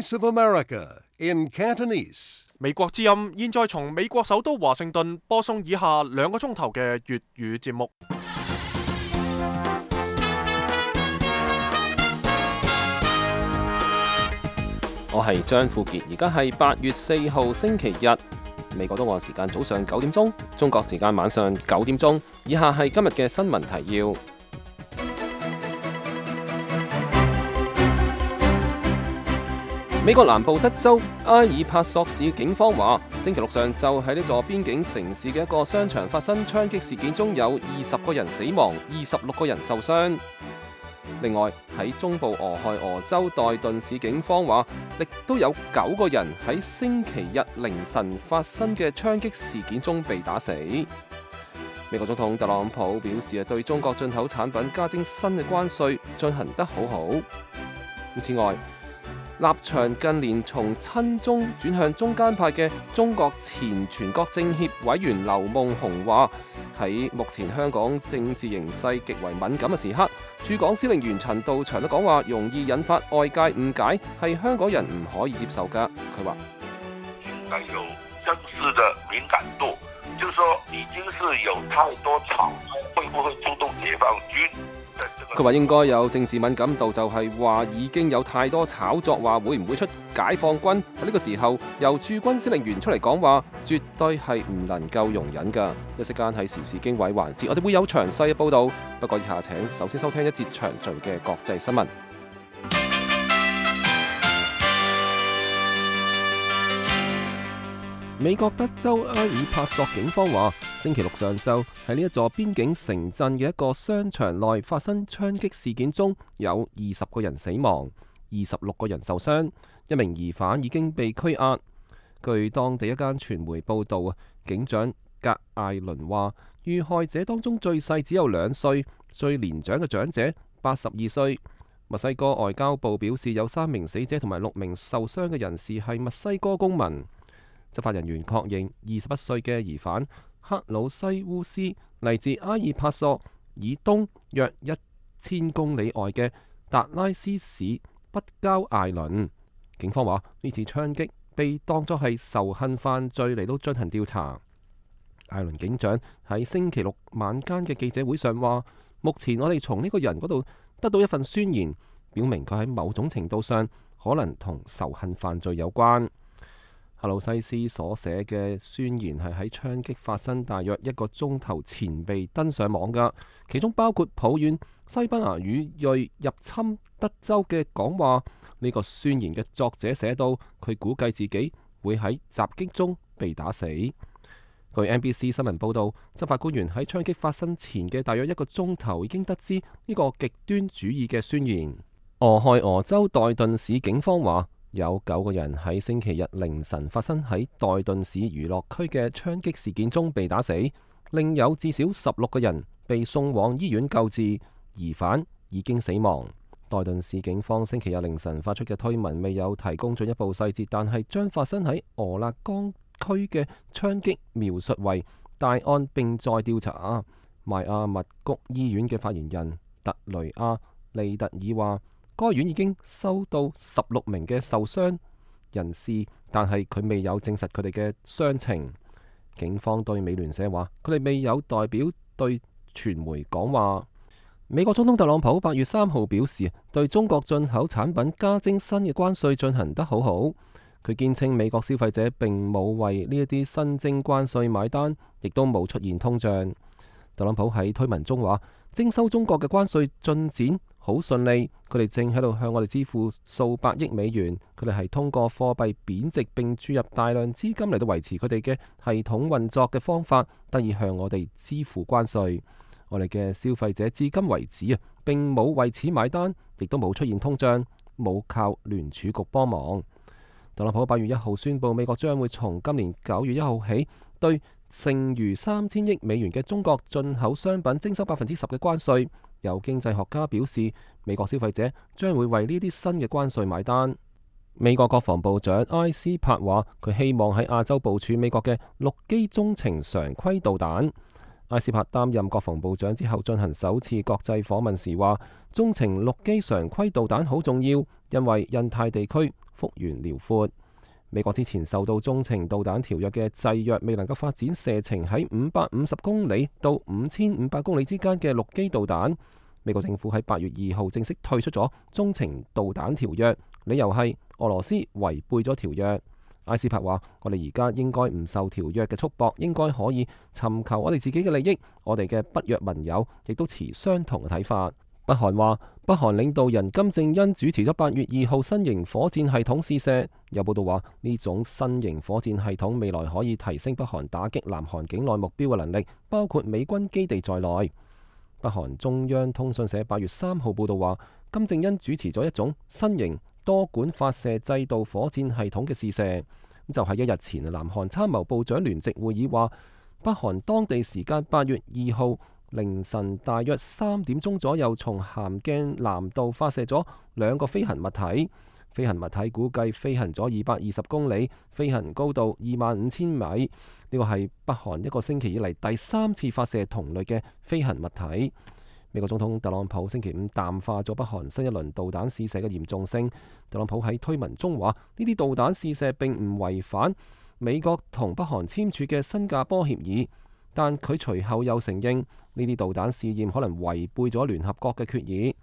Voice of America in Cantonese. 美國之音現在從美國首都華盛頓播送以下2個鐘頭嘅粵語節目。我係張富傑，而家係8月4號星期日，美國東岸時間早上9點鐘，中國時間晚上9點鐘。以下係今日嘅新聞提要。美國南部德州埃爾帕索市警方話，星期六上晝喺呢座邊境城市嘅一個商場發生槍擊事件中，有20個人死亡，26個人受傷。另外喺中部俄亥俄州代頓市警方話，亦都有9個人喺星期日凌晨發生嘅槍擊事件中被打死。美國總統特朗普表示，對中國進口產品加徵新嘅關稅進行得好好。此外，立場近年從親中轉向中間派嘅中國前全國政協委員劉夢熊話，喺目前香港政治形勢極為敏感嘅時刻，駐港司令員陳道祥都講話容易引發外界誤解，係香港人唔可以接受㗎。佢話應該有正式的敏感度，就是說已經是有太多炒作，會不會出動解放軍？佢話應該有政治敏感度，就係話已經有太多炒作，話會唔會出解放軍。喺呢個時候由駐軍司令員出嚟講話，絕對係唔能夠容忍㗎。一息間係時事經緯環節，我哋會有詳細嘅報導。不過以下請首先收聽一節詳盡嘅國際新聞。美國德州埃爾帕索警方話，星期六上晝喺呢一座邊境城鎮嘅一個商場內發生槍擊事件中，有20個人死亡，26個人受傷，一名疑犯已經被拘押。據當地一間傳媒報道，警長格艾倫話，遇害者當中最細只有2歲，最年長嘅長者82歲。墨西哥外交部表示，有3名死者同埋6名受傷嘅人士係墨西哥公民。執法人員確認21歲嘅疑犯克魯西烏斯嚟自埃爾帕索以東約1000公里外嘅達拉斯市北郊艾倫。警方話呢次槍擊被當作係仇恨犯罪嚟到進行調查。艾倫警長喺星期六晚間嘅記者會上話，目前我哋從呢個人嗰度得到一份宣言，表明佢喺某種程度上可能同仇恨犯罪有關。克魯西斯所寫嘅宣言係喺槍擊發生大約1個鐘頭前被登上網㗎，其中包括抱怨西班牙語裔入侵德州嘅講話。呢個宣言嘅作者寫到，佢估計自己會喺襲擊中被打死。據 NBC 新聞報道，執法官員喺槍擊發生前嘅大約1個鐘頭已經得知呢個極端主義嘅宣言。俄亥俄州代頓市警方話，有9個人喺星期日凌晨發生喺代頓市娛樂區嘅槍擊事件中被打死，另有至少16個人被送往醫院救治，疑犯已經死亡。代頓市警方星期日凌晨發出嘅推文未有提供進一步細節，但係將發生喺俄勒岡區嘅槍擊描述為大案並在調查。邁阿密谷醫院嘅發言人特雷亞利特爾話，該院已經收到16名嘅受傷人士，但係佢未有證實佢哋嘅傷情。警方對美聯社話，佢哋未有代表對傳媒講話。美國總統特朗普8月3號表示，對中國進口產品加徵新嘅關稅進行得好好。佢堅稱美國消費者並冇為呢一啲新徵關稅買單，亦都冇出現通脹。特朗普喺推文中話，徵收中國嘅關稅進展好順利，佢哋正喺度向我哋支付數百億美元，佢哋係通過貨幣貶值並注入大量資金嚟到維持佢哋嘅系統運作嘅方法，得以向我哋支付關稅。我哋嘅消費者至今為止並冇為此買單，亦都冇出現通脹，冇靠聯儲局幫忙。特朗普8月1號宣布，美國將會從今年9月1號起對剩餘3000億美元嘅中國進口商品徵收10%嘅關稅。有經濟學家表示，美國消費者將會為呢啲新嘅關稅買單。美國國防部長埃斯珀話，佢希望喺亞洲部署美國嘅陸基中程常規導彈。埃斯珀擔任國防部長之後進行首次國際訪問時話，中程陸基常規導彈好重要，因為印太地區幅員遼闊。美國之前受到中程導彈條約嘅制約，未能夠發展射程喺550公里到5500公里之間嘅陸基導彈。美國政府喺8月2號正式退出咗中程導彈條約，理由係俄羅斯違背咗條約。埃斯珀話：我哋而家應該唔受條約嘅束縛，應該可以尋求我哋自己嘅利益。我哋嘅北約盟友亦都持相同嘅睇法。北韓話，北韓領導人金正恩主持咗8月2號新型火箭系統試射。有報道話，呢種新型火箭系統未來可以提升北韓打擊南韓境內目標嘅能力，包括美軍基地在內。北韓中央通訊社8月3號報道話，金正恩主持咗一種新型多管發射制導火箭系統嘅試射。就喺1日前，南韓參謀部長聯席會議話，北韓當地時間8月2號凌晨大約3點鐘左右，從咸鏡南道發射咗2個飛行物體。飛行物體估計飛行咗220公里，飛行高度25000米。呢個係北韓一個星期以嚟第3次發射同類嘅飛行物體。美國總統特朗普星期5淡化咗北韓新一輪導彈試射嘅嚴重性。特朗普喺推文中話：呢啲導彈試射並唔違反美國同北韓簽署嘅新加坡協議，但佢隨後又承認呢啲導彈試驗可能違背咗聯合國嘅決議。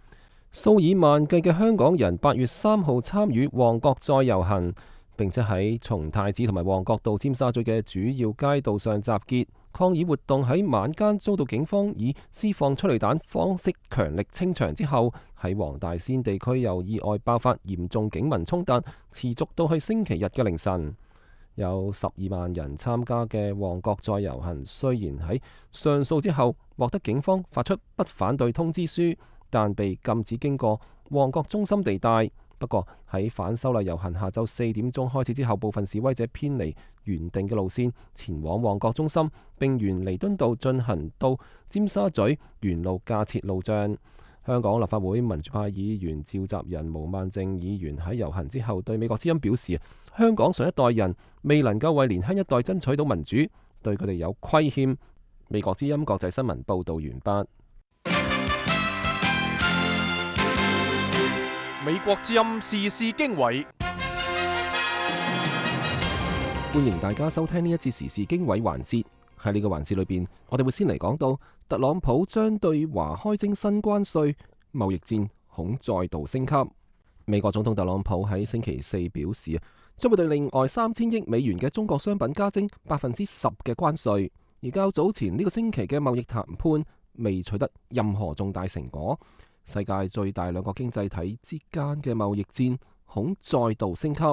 數以萬計嘅香港人8月3號參與旺角再遊行，並且喺松太子同埋旺角到尖沙咀嘅主要街道上集結抗議活動。喺晚間遭到警方以施放催淚彈方式強力清場之後，喺黃大仙地區又意外爆發嚴重警民衝突，持續到去星期日嘅凌晨。有12萬人參加嘅旺角再遊行，雖然喺上訴之後獲得警方發出不反對通知書，但被禁止經過旺角中心地帶。不過喺反修例遊行下晝4點鐘開始之後，部分示威者偏離原定嘅路線，前往旺角中心，並沿彌敦道進行到尖沙咀沿路架設路障。香港立法會民主派議員召集人毛孟靜議員喺遊行之後對美國之音表示：香港上一代人未能夠為年輕一代爭取到民主，對佢哋有虧欠。美國之音國際新聞報道完畢。美國之音時事經緯，歡迎大家收聽呢一節時事經緯環節。喺呢個環節裏邊，我哋會先嚟講到特朗普將對華開徵新關稅，貿易戰恐再度升級。美國總統特朗普喺星期4表示，將會對另外3000億美元嘅中國商品加徵10%嘅關稅。而較早前呢個星期嘅貿易談判未取得任何重大成果。世界最大兩個經濟體之間嘅貿易戰恐再度升級。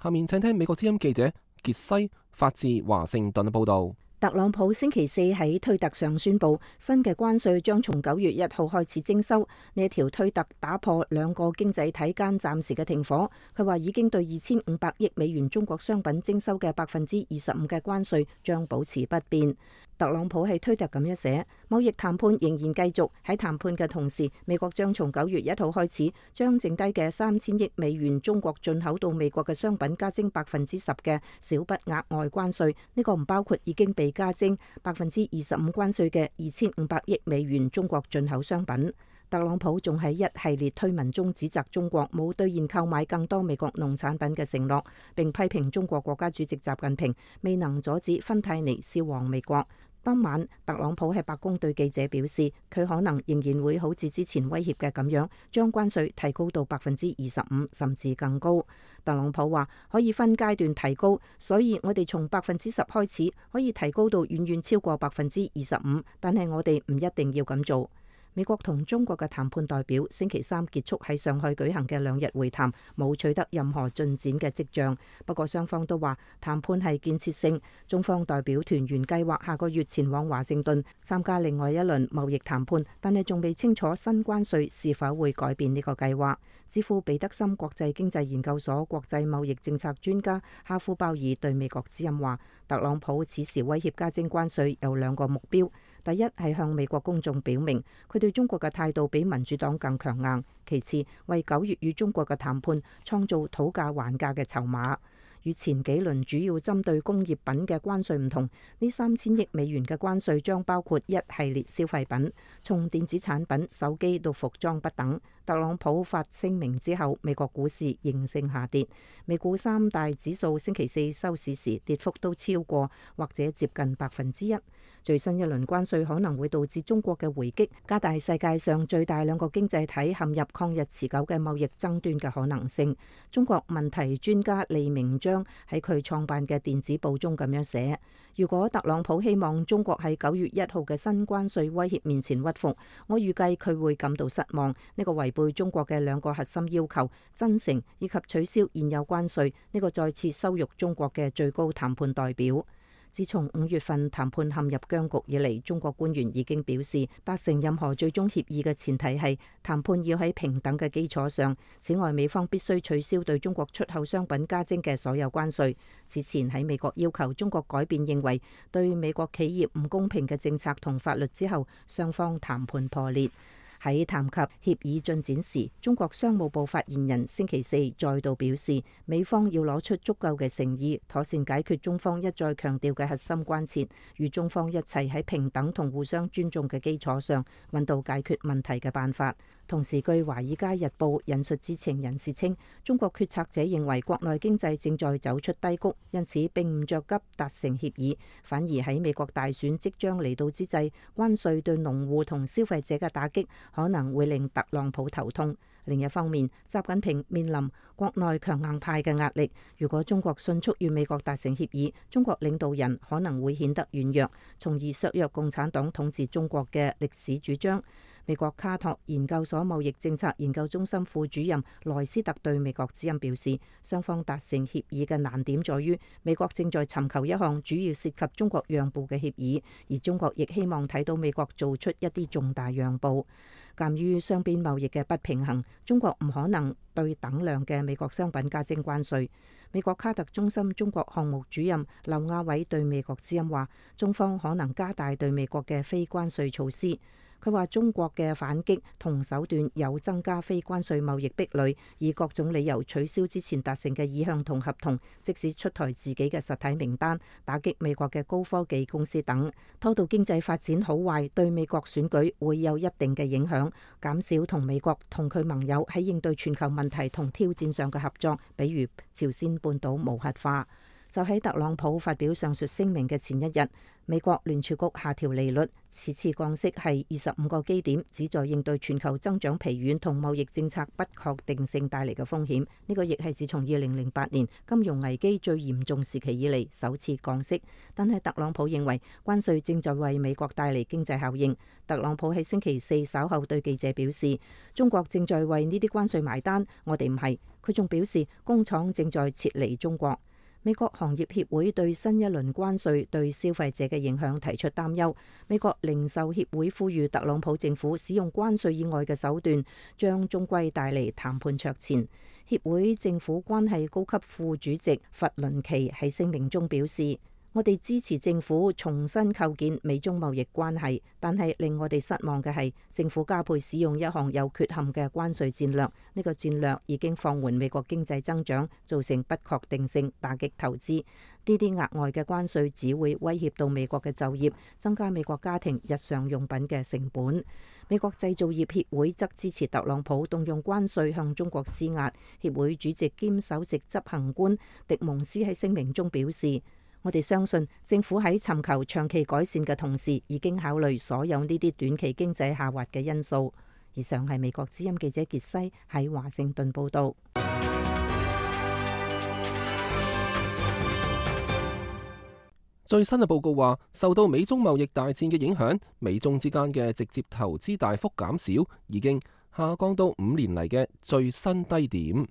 下面請聽美國之音記者傑西發自華盛頓嘅報道。特朗普星期4喺推特上宣布，新嘅關稅將從9月1號開始徵收。呢一條推特打破兩個經濟體間暫時嘅停火。佢話已經對2500億美元中國商品徵收嘅25%嘅關稅將保持不變。特朗普喺推特咁樣寫：貿易談判仍然繼續，喺談判嘅同時，美國將從9月1號開始，將剩低嘅3000億美元中國進口到美國嘅商品加徵10%嘅小筆額外關稅。呢個唔包括已經被加徵25%關稅嘅2500億美元中國進口商品。特朗普仲喺一系列推文中指責中國冇兌現購買更多美國農產品嘅承諾，並批評中國國家主席習近平未能阻止芬太尼銷往美國。當晚，特朗普喺白宮對記者表示，佢可能仍然會好似之前威脅嘅咁樣，將關稅提高到25%甚至更高。特朗普話可以分階段提高，所以我哋從10%開始，可以提高到遠遠超過25%，但係我哋唔一定要咁做。美國同中國嘅談判代表星期3結束喺上海舉行嘅2日會談，冇取得任何進展嘅跡象。不過雙方都話談判係建設性。中方代表團原計劃下個月前往華盛頓參加另外一輪貿易談判，但係仲未清楚新關稅是否會改變呢個計劃。智庫彼得森國際經濟研究所國際貿易政策專家哈夫鮑爾對美國之音話，特朗普此時威脅加徵關稅有2個目標。第一係向美國公眾表明佢對中國嘅態度比民主黨更強硬，其次為9月與中國嘅談判創造討價還價嘅籌碼。與前幾輪主要針對工業品嘅關稅唔同，呢3000億美元嘅關稅將包括一系列消費品，從電子產品、手機到服裝不等。特朗普發聲明之後，美國股市應聲下跌，美股三大指數星期四收市時跌幅都超過或者接近1%。最新一輪關稅可能會導致中國嘅回擊，加大世界上最大兩個經濟體陷入抗日持久嘅貿易爭端嘅可能性。中國問題專家利明章喺佢創辦嘅電子報中咁樣寫：如果特朗普希望中國喺9月1號嘅新關稅威脅面前屈服，我預計佢會感到失望。呢個違背中國嘅兩個核心要求，真誠以及取消現有關稅，呢個再次羞辱中國嘅最高談判代表。自從5月份談判陷入僵局以嚟，中國官員已經表示，達成任何最終協議嘅前提係談判要喺平等嘅基礎上。此外，美方必須取消對中國出口商品加徵嘅所有關稅。此前喺美國要求中國改變認為對美國企業唔公平嘅政策同法律之後，雙方談判破裂。喺談及協議進展時，中國商務部發言人星期四再度表示，美方要攞出足夠嘅誠意，妥善解決中方一再強調嘅核心關切，與中方一齊喺平等同互相尊重嘅基礎上，揾到解決問題嘅辦法。同時，據《華爾街日報》引述知情人士稱，中國決策者認為國內經濟正在走出低谷，因此並唔着急達成協議，反而喺美國大選即將嚟到之際，關稅對農戶同消費者嘅打擊可能會令特朗普頭痛。另一方面，習近平面臨國內強硬派嘅壓力，如果中國迅速與美國達成協議，中國領導人可能會顯得軟弱，從而削弱共產黨統治中國嘅歷史主張。美國卡托研究所貿易政策研究中心副主任萊斯特對美國之音表示，雙方達成協議嘅難點在於，美國正在尋求一項主要涉及中國讓步嘅協議，而中國亦希望睇到美國做出一啲重大讓步。鑑於雙邊貿易嘅不平衡，中國唔可能對等量嘅美國商品加徵關稅。美國卡特中心中國項目主任劉亞偉對美國之音話，中方可能加大對美國嘅非關稅措施。佢話中國嘅反擊同手段有增加非關稅貿易壁壘，以各種理由取消之前達成嘅意向同合同，即使出台自己嘅實體名單，打擊美國嘅高科技公司等，拖到經濟發展好壞，對美國選舉會有一定嘅影響，減少同美國同佢盟友喺應對全球問題同挑戰上嘅合作，比如朝鮮半島無核化。就喺特朗普發表上述聲明嘅前一日，美國聯儲局下調利率，此次降息係25個基點，旨在應對全球增長疲軟同貿易政策不確定性帶嚟嘅風險。呢個亦係自從2008年金融危機最嚴重時期以嚟首次降息。但係特朗普認為關稅正在為美國帶嚟經濟效應。特朗普喺星期四稍後對記者表示，中國正在為呢啲關稅埋單，我哋唔係。佢仲表示工廠正在撤離中國。美國行業協會對新一輪關稅對消費者嘅影響提出擔憂。美國零售協會呼籲特朗普政府使用關稅以外嘅手段，將終歸帶嚟談判桌前。協會政府關係高級副主席弗倫奇喺聲明中表示，我哋支持政府重新構建美中貿易關係，但係令我哋失望嘅係政府加倍使用一項有缺陷嘅關稅戰略。呢個戰略已經放緩美國經濟增長，造成不確定性，打擊投資。呢啲額外嘅關稅只會威脅到美國嘅就業，增加美國家庭日常用品嘅成本。美國製造業協會則支持特朗普動用關稅向中國施壓。協會主席兼首席執行官迪蒙斯喺聲明中表示，我哋相信政府喺尋求長期改善嘅同時，已經考慮所有呢啲短期經濟下滑嘅因素。以上係美國之音記者傑西喺華盛頓報導。最新嘅報告話，受到美中貿易大戰嘅影響，美中之間嘅直接投資大幅減少，已經下降到5年嚟嘅最新低點。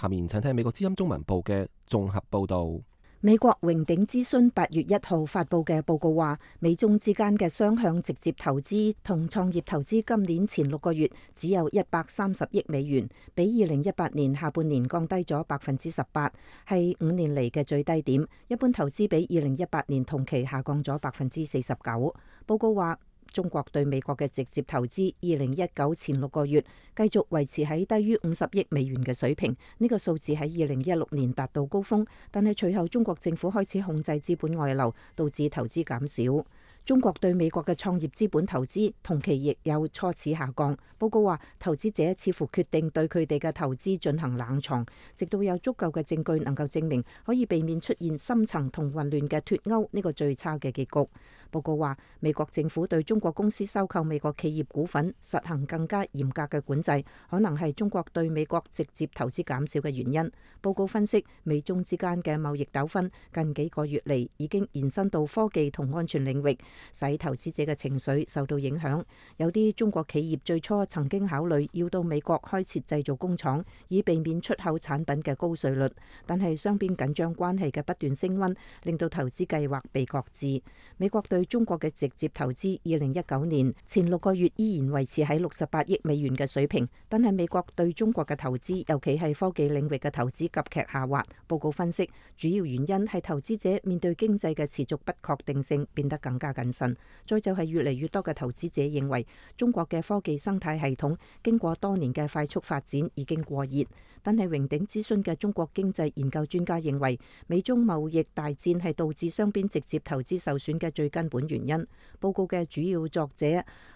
下面請聽美國之音中文部嘅綜合報導。美國榮鼎諮詢8月1號發佈嘅報告話，美中之間嘅雙向直接投資同創業投資今年前6個月只有130億美元，比2018年下半年降低咗18%，係5年嚟嘅最低點。一般投資比2018年同期下降咗49%。報告話，中國對美國嘅直接投資2019前6個月繼續維持喺低於50億美元嘅水平，呢個數字喺2016年達到高峰，但係隨後中國政府開始控制資本外流，導致投資減少。中國對美國嘅創業資本投資同期亦有初始下降。報告話，投資者似乎決定對佢哋嘅投資進行冷藏，直到有足夠嘅證據能夠證明可以避免出現深層同混亂嘅脫鈎呢個最差嘅結局。報告話，美國政府對中國公司收購美國企業股份實行更加嚴格嘅管制，可能係中國對美國直接投資減少嘅原因。報告分析，美中之間嘅貿易糾紛近幾個月嚟已經延伸到科技同安全領域，使投資者嘅情緒受到影響。有啲中國企業最初曾經考慮要到美國開設製造工廠，以避免出口產品嘅高稅率，但係雙邊緊張關係嘅不斷升溫，令到投資計劃被擱置。美國對中國嘅直接投資2019年前6個月依然維持喺68億美元嘅水平，但係美國對中國嘅投資，尤其係科技領域嘅投資急劇下滑。報告分析，主要原因係投資者面對經濟嘅持續不確定性變得更加謹慎，再就係越嚟越多嘅投資者認為中國嘅科技生態系統經過多年嘅快速發展已經過熱。但係榮鼎諮詢嘅中國經濟研究專家認為，美中貿易大戰係導致雙邊直接投資受損嘅最根本原因。報告嘅主要作者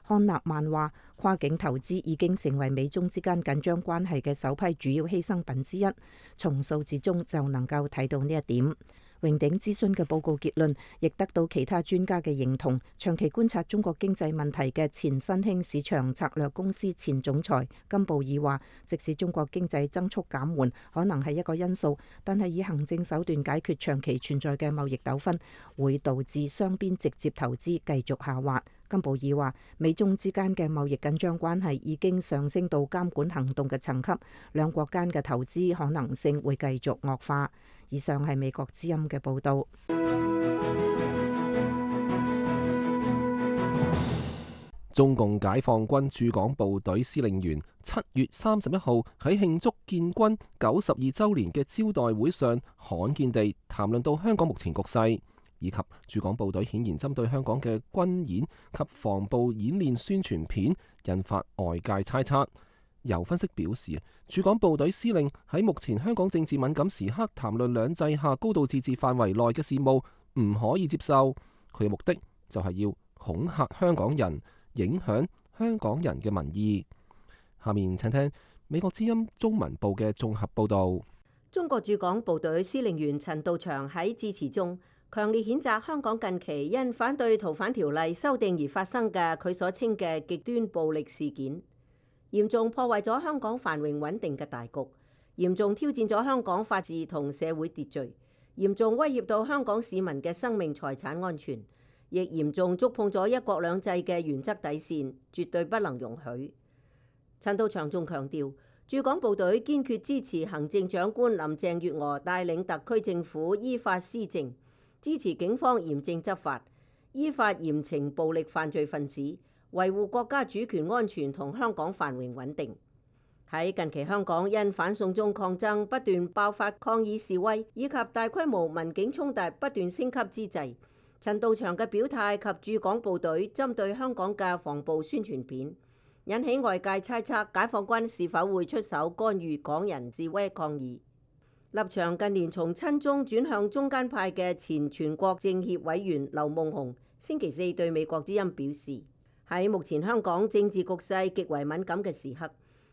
漢納曼話，跨境投資已經成為美中之間緊張關係嘅首批主要犧牲品之一，從數字中就能夠睇到呢一點。榮鼎諮詢嘅報告結論亦得到其他專家嘅認同。長期觀察中國經濟問題嘅前新興市場策略公司前總裁金布爾話，即使中國經濟增速減緩可能係一個因素，但係以行政手段解決長期存在嘅貿易糾紛會導致雙邊直接投資繼續下滑。金布爾話，美中之間嘅貿易緊張關係已經上升到監管行動嘅層級，兩國間嘅投資可能性會繼續惡化。以上係美國之音嘅報導。中共解放軍駐港部隊司令員7月31號喺慶祝建軍92週年嘅招待會上，罕見地談論到香港目前局勢，以及駐港部隊顯然針對香港嘅軍演及防暴演練宣傳片，引發外界猜測。有分析表示，駐港部隊司令喺目前香港政治敏感時刻談論兩制下高度自治範圍內嘅事務，唔可以接受。佢嘅目的就係要恐嚇香港人，影響香港人嘅民意。下面請聽美國之音中文部嘅綜合報導。中國駐港部隊司令員陳道祥喺致辭中強烈譴責香港近期因反對逃犯條例修訂而發生嘅佢所稱嘅極端暴力事件，嚴重破壞咗香港繁榮穩定嘅大局，嚴重挑戰咗香港法治同社會秩序，嚴重威脅到香港市民嘅生命財產安全，亦嚴重觸碰咗一國兩制嘅原則底線，絕對不能容許。陳道祥仲強調，駐港部隊堅決支持行政長官林鄭月娥帶領特區政府依法施政，支持警方嚴正執法，依法嚴懲暴力犯罪分子，維護國家主權安全同香港繁榮穩定。喺近期香港因反送中抗爭不斷爆發抗議示威，以及大規模民警衝突不斷升級之際，陳道祥嘅表態及駐港部隊針對香港嘅防暴宣傳片，引起外界猜測解放軍是否會出手干預港人示威抗議。立場近年從親中轉向中間派嘅前全國政協委員劉夢熊星期四對美國之音表示，喺目前香港政治局勢極為敏感嘅時刻，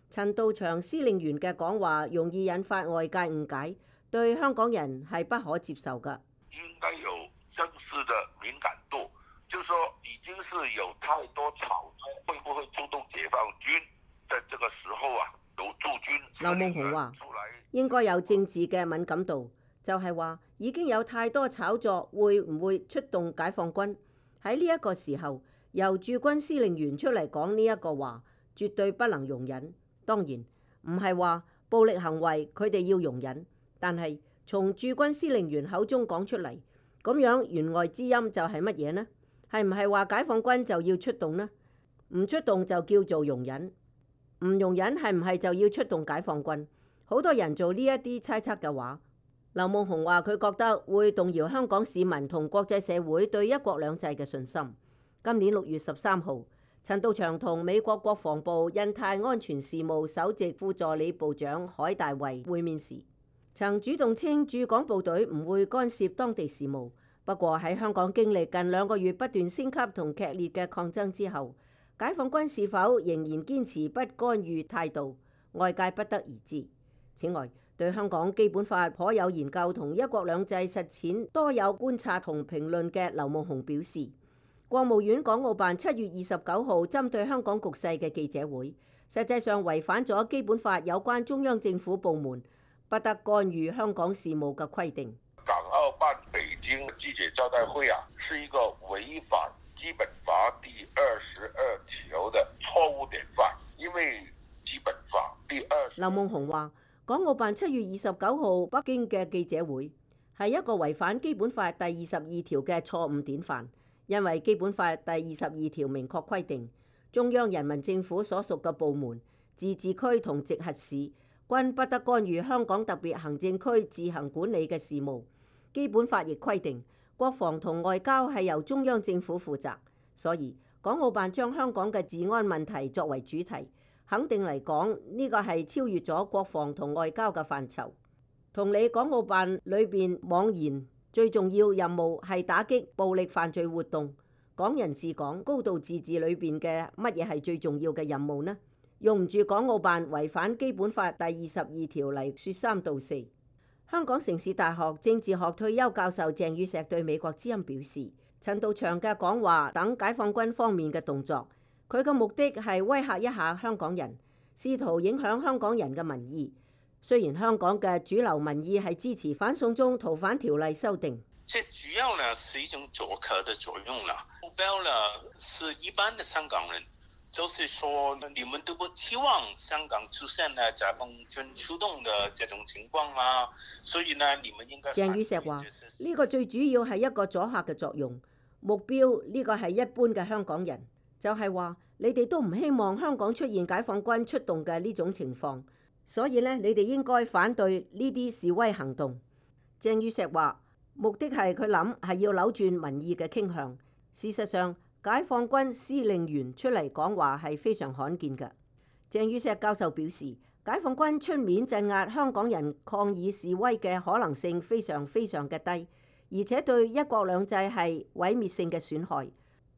陳道祥司令員嘅講話容易引發外界誤解，對香港人係不可接受㗎。應該有正式的敏感度，就是說已經是有太多炒作，會不會出動解放軍？在這個時候啊，有駐軍。劉夢熊話應該有政治嘅敏感度，就係話已經有太多炒作，會唔會出動解放軍？喺呢一個時候，由駐軍司令員出嚟講呢一個話，絕對不能容忍。當然唔係話暴力行為佢哋要容忍，但係從駐軍司令員口中講出嚟，咁樣言外之音就係乜嘢呢？係唔係話解放軍就要出動呢？唔出動就叫做容忍，唔容忍係唔係就要出動解放軍？好多人做呢一啲猜測嘅話，劉夢熊話佢覺得會動搖香港市民同國際社會對一國兩制嘅信心。今年6月13號，陳道祥同美國國防部印太安全事務首席副助理部長海大衛會面時，曾主動稱駐港部隊唔會干涉當地事務。不過喺香港經歷近2個月不斷升級同劇烈嘅抗爭之後，解放軍是否仍然堅持不干預態度，外界不得而知。此外，對香港基本法頗有研究同一國兩制實踐多有觀察同評論嘅劉夢熊表示，國務院港澳辦7月29號針對香港局勢嘅記者會，實際上違反咗基本法有關中央政府部門不得干預香港事務嘅規定。港澳辦北京記者招待會是一個違反基本法第22條的錯誤典範，因為基本法第20。劉夢熊話，港澳辦7月29號北京嘅記者會係一個違反基本法第22條嘅錯誤典範，因為基本法第22條明確規定，中央人民政府所屬嘅部門、自治區同直轄市均不得干預香港特別行政區自行管理嘅事務。基本法亦規定，國防同外交係由中央政府負責，所以港澳辦將香港嘅治安問題作為主題，肯定嚟講呢個係超越咗國防同外交嘅範疇。同理，港澳辦裏邊妄言最重要任務係打擊暴力犯罪活動，港人治港、高度自治裏邊嘅乜嘢係最重要嘅任務呢？用唔住港澳辦違反基本法第22條嚟説三道四。香港城市大學政治學退休教授鄭宇碩對美國之音表示，陳道祥嘅講話等解放軍方面嘅動作，佢嘅目的係威嚇一下香港人，試圖影響香港人嘅民意。雖然香港嘅主流民意係支持反送中逃犯條例修訂，這主要呢是一種阻嚇的作用啦，目標呢是一般的香港人。就是說，你們都不期望香港出現呢解放軍出動的這種情況啊，所以呢，你們應該。鄭宇碩話：呢個最主要係一個阻嚇嘅作用，目標呢個係一般嘅香港人，就係話你哋都唔希望香港出現解放軍出動嘅呢種情況，所以呢，你哋應該反對呢啲示威行動。鄭宇碩話：目的係佢諗係要扭轉民意嘅傾向，事實上。解放軍司令員出嚟講話係非常罕見嘅。鄭宇碩教授表示，解放軍出面鎮壓香港人抗議示威嘅可能性非常非常嘅低，而且對一國兩制係毀滅性嘅損害，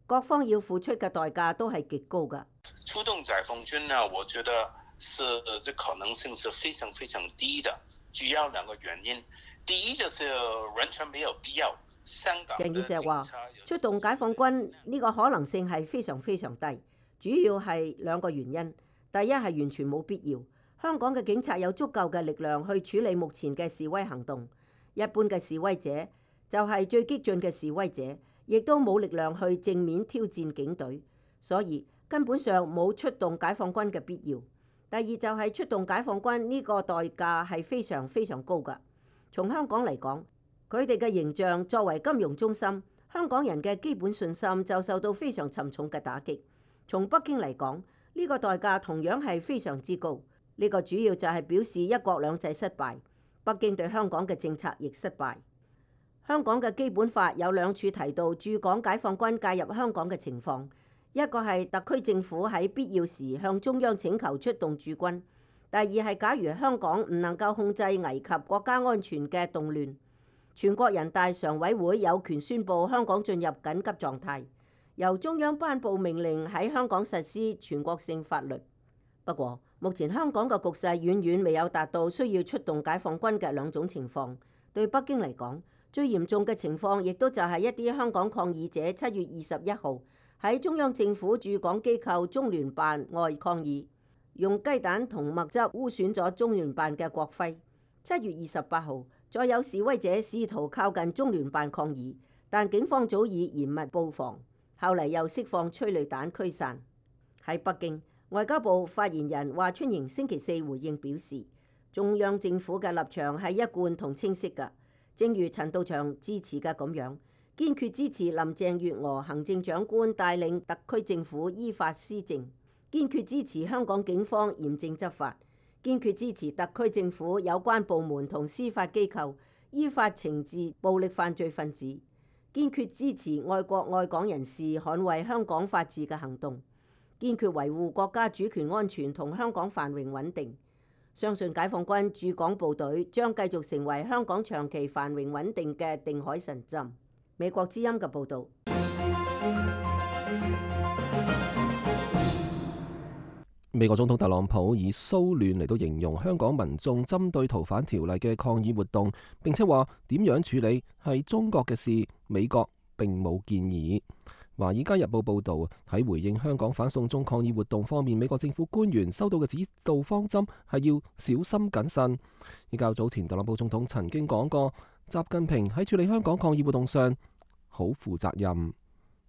各方要付出嘅代價都係極高嘅。出動解放軍呢，我覺得是這可能性是非常非常低的，主要2個原因。第一就是完全沒有必要。鄭宇碩話：出動解放軍呢個可能性係非常非常低，主要係2個原因。第一係完全冇必要，香港嘅警察有足夠嘅力量去處理目前嘅示威行動。一般嘅示威者就係最激進嘅示威者，亦都冇力量去正面挑戰警隊，所以根本上冇出動解放軍嘅必要。第二就係出動解放軍呢個代價係非常非常高㗎。從香港嚟講，佢哋嘅形象作為金融中心，香港人嘅基本信心就受到非常沉重嘅打擊。從北京嚟講，呢個代價同樣係非常之高。呢個主要就係表示一國兩制失敗，北京對香港嘅政策亦失敗。香港嘅基本法有2處提到駐港解放軍介入香港嘅情況，一個係特區政府喺必要時向中央請求出動駐軍，第二係假如香港唔能夠控制危及國家安全嘅動亂，全國人大常委會有權宣布香港進入緊急狀態，由中央頒布命令喺香港實施全國性法律。不過，目前香港嘅局勢遠遠未有達到需要出動解放軍嘅2種情況。對北京嚟講，最嚴重嘅情況亦都就係一啲香港抗議者7月21號喺中央政府駐港機構中聯辦外抗議，用雞蛋同墨汁污損咗中聯辦嘅國徽。7月28號，再有示威者試圖靠近中聯辦抗議，但警方早已嚴密布防，後嚟又釋放催淚彈驅散。喺北京，外交部發言人華春瑩星期4回應表示，中央政府嘅立場係一貫同清晰嘅，正如陳道祥支持嘅咁樣，堅決支持林鄭月娥行政長官帶領特區政府依法施政，堅決支持香港警方嚴正執法，堅決支持特區政府有關部門同司法機構依法懲治暴力犯罪分子，堅決支持愛國愛港人士捍衛香港法治嘅行動，堅決維護國家主權安全同香港繁榮穩定。相信解放軍駐港部隊將繼續成為香港長期繁榮穩定嘅定海神針。美國之音嘅報導。美國總統特朗普以騷亂嚟到形容香港民眾針對逃犯條例嘅抗議活動，並且話點樣處理係中國嘅事，美國並冇建議。華爾街日報報導，喺回應香港反送中抗議活動方面，美國政府官員收到嘅指導方針係要小心謹慎。而較早前，特朗普總統曾經講過，習近平喺處理香港抗議活動上好負責任。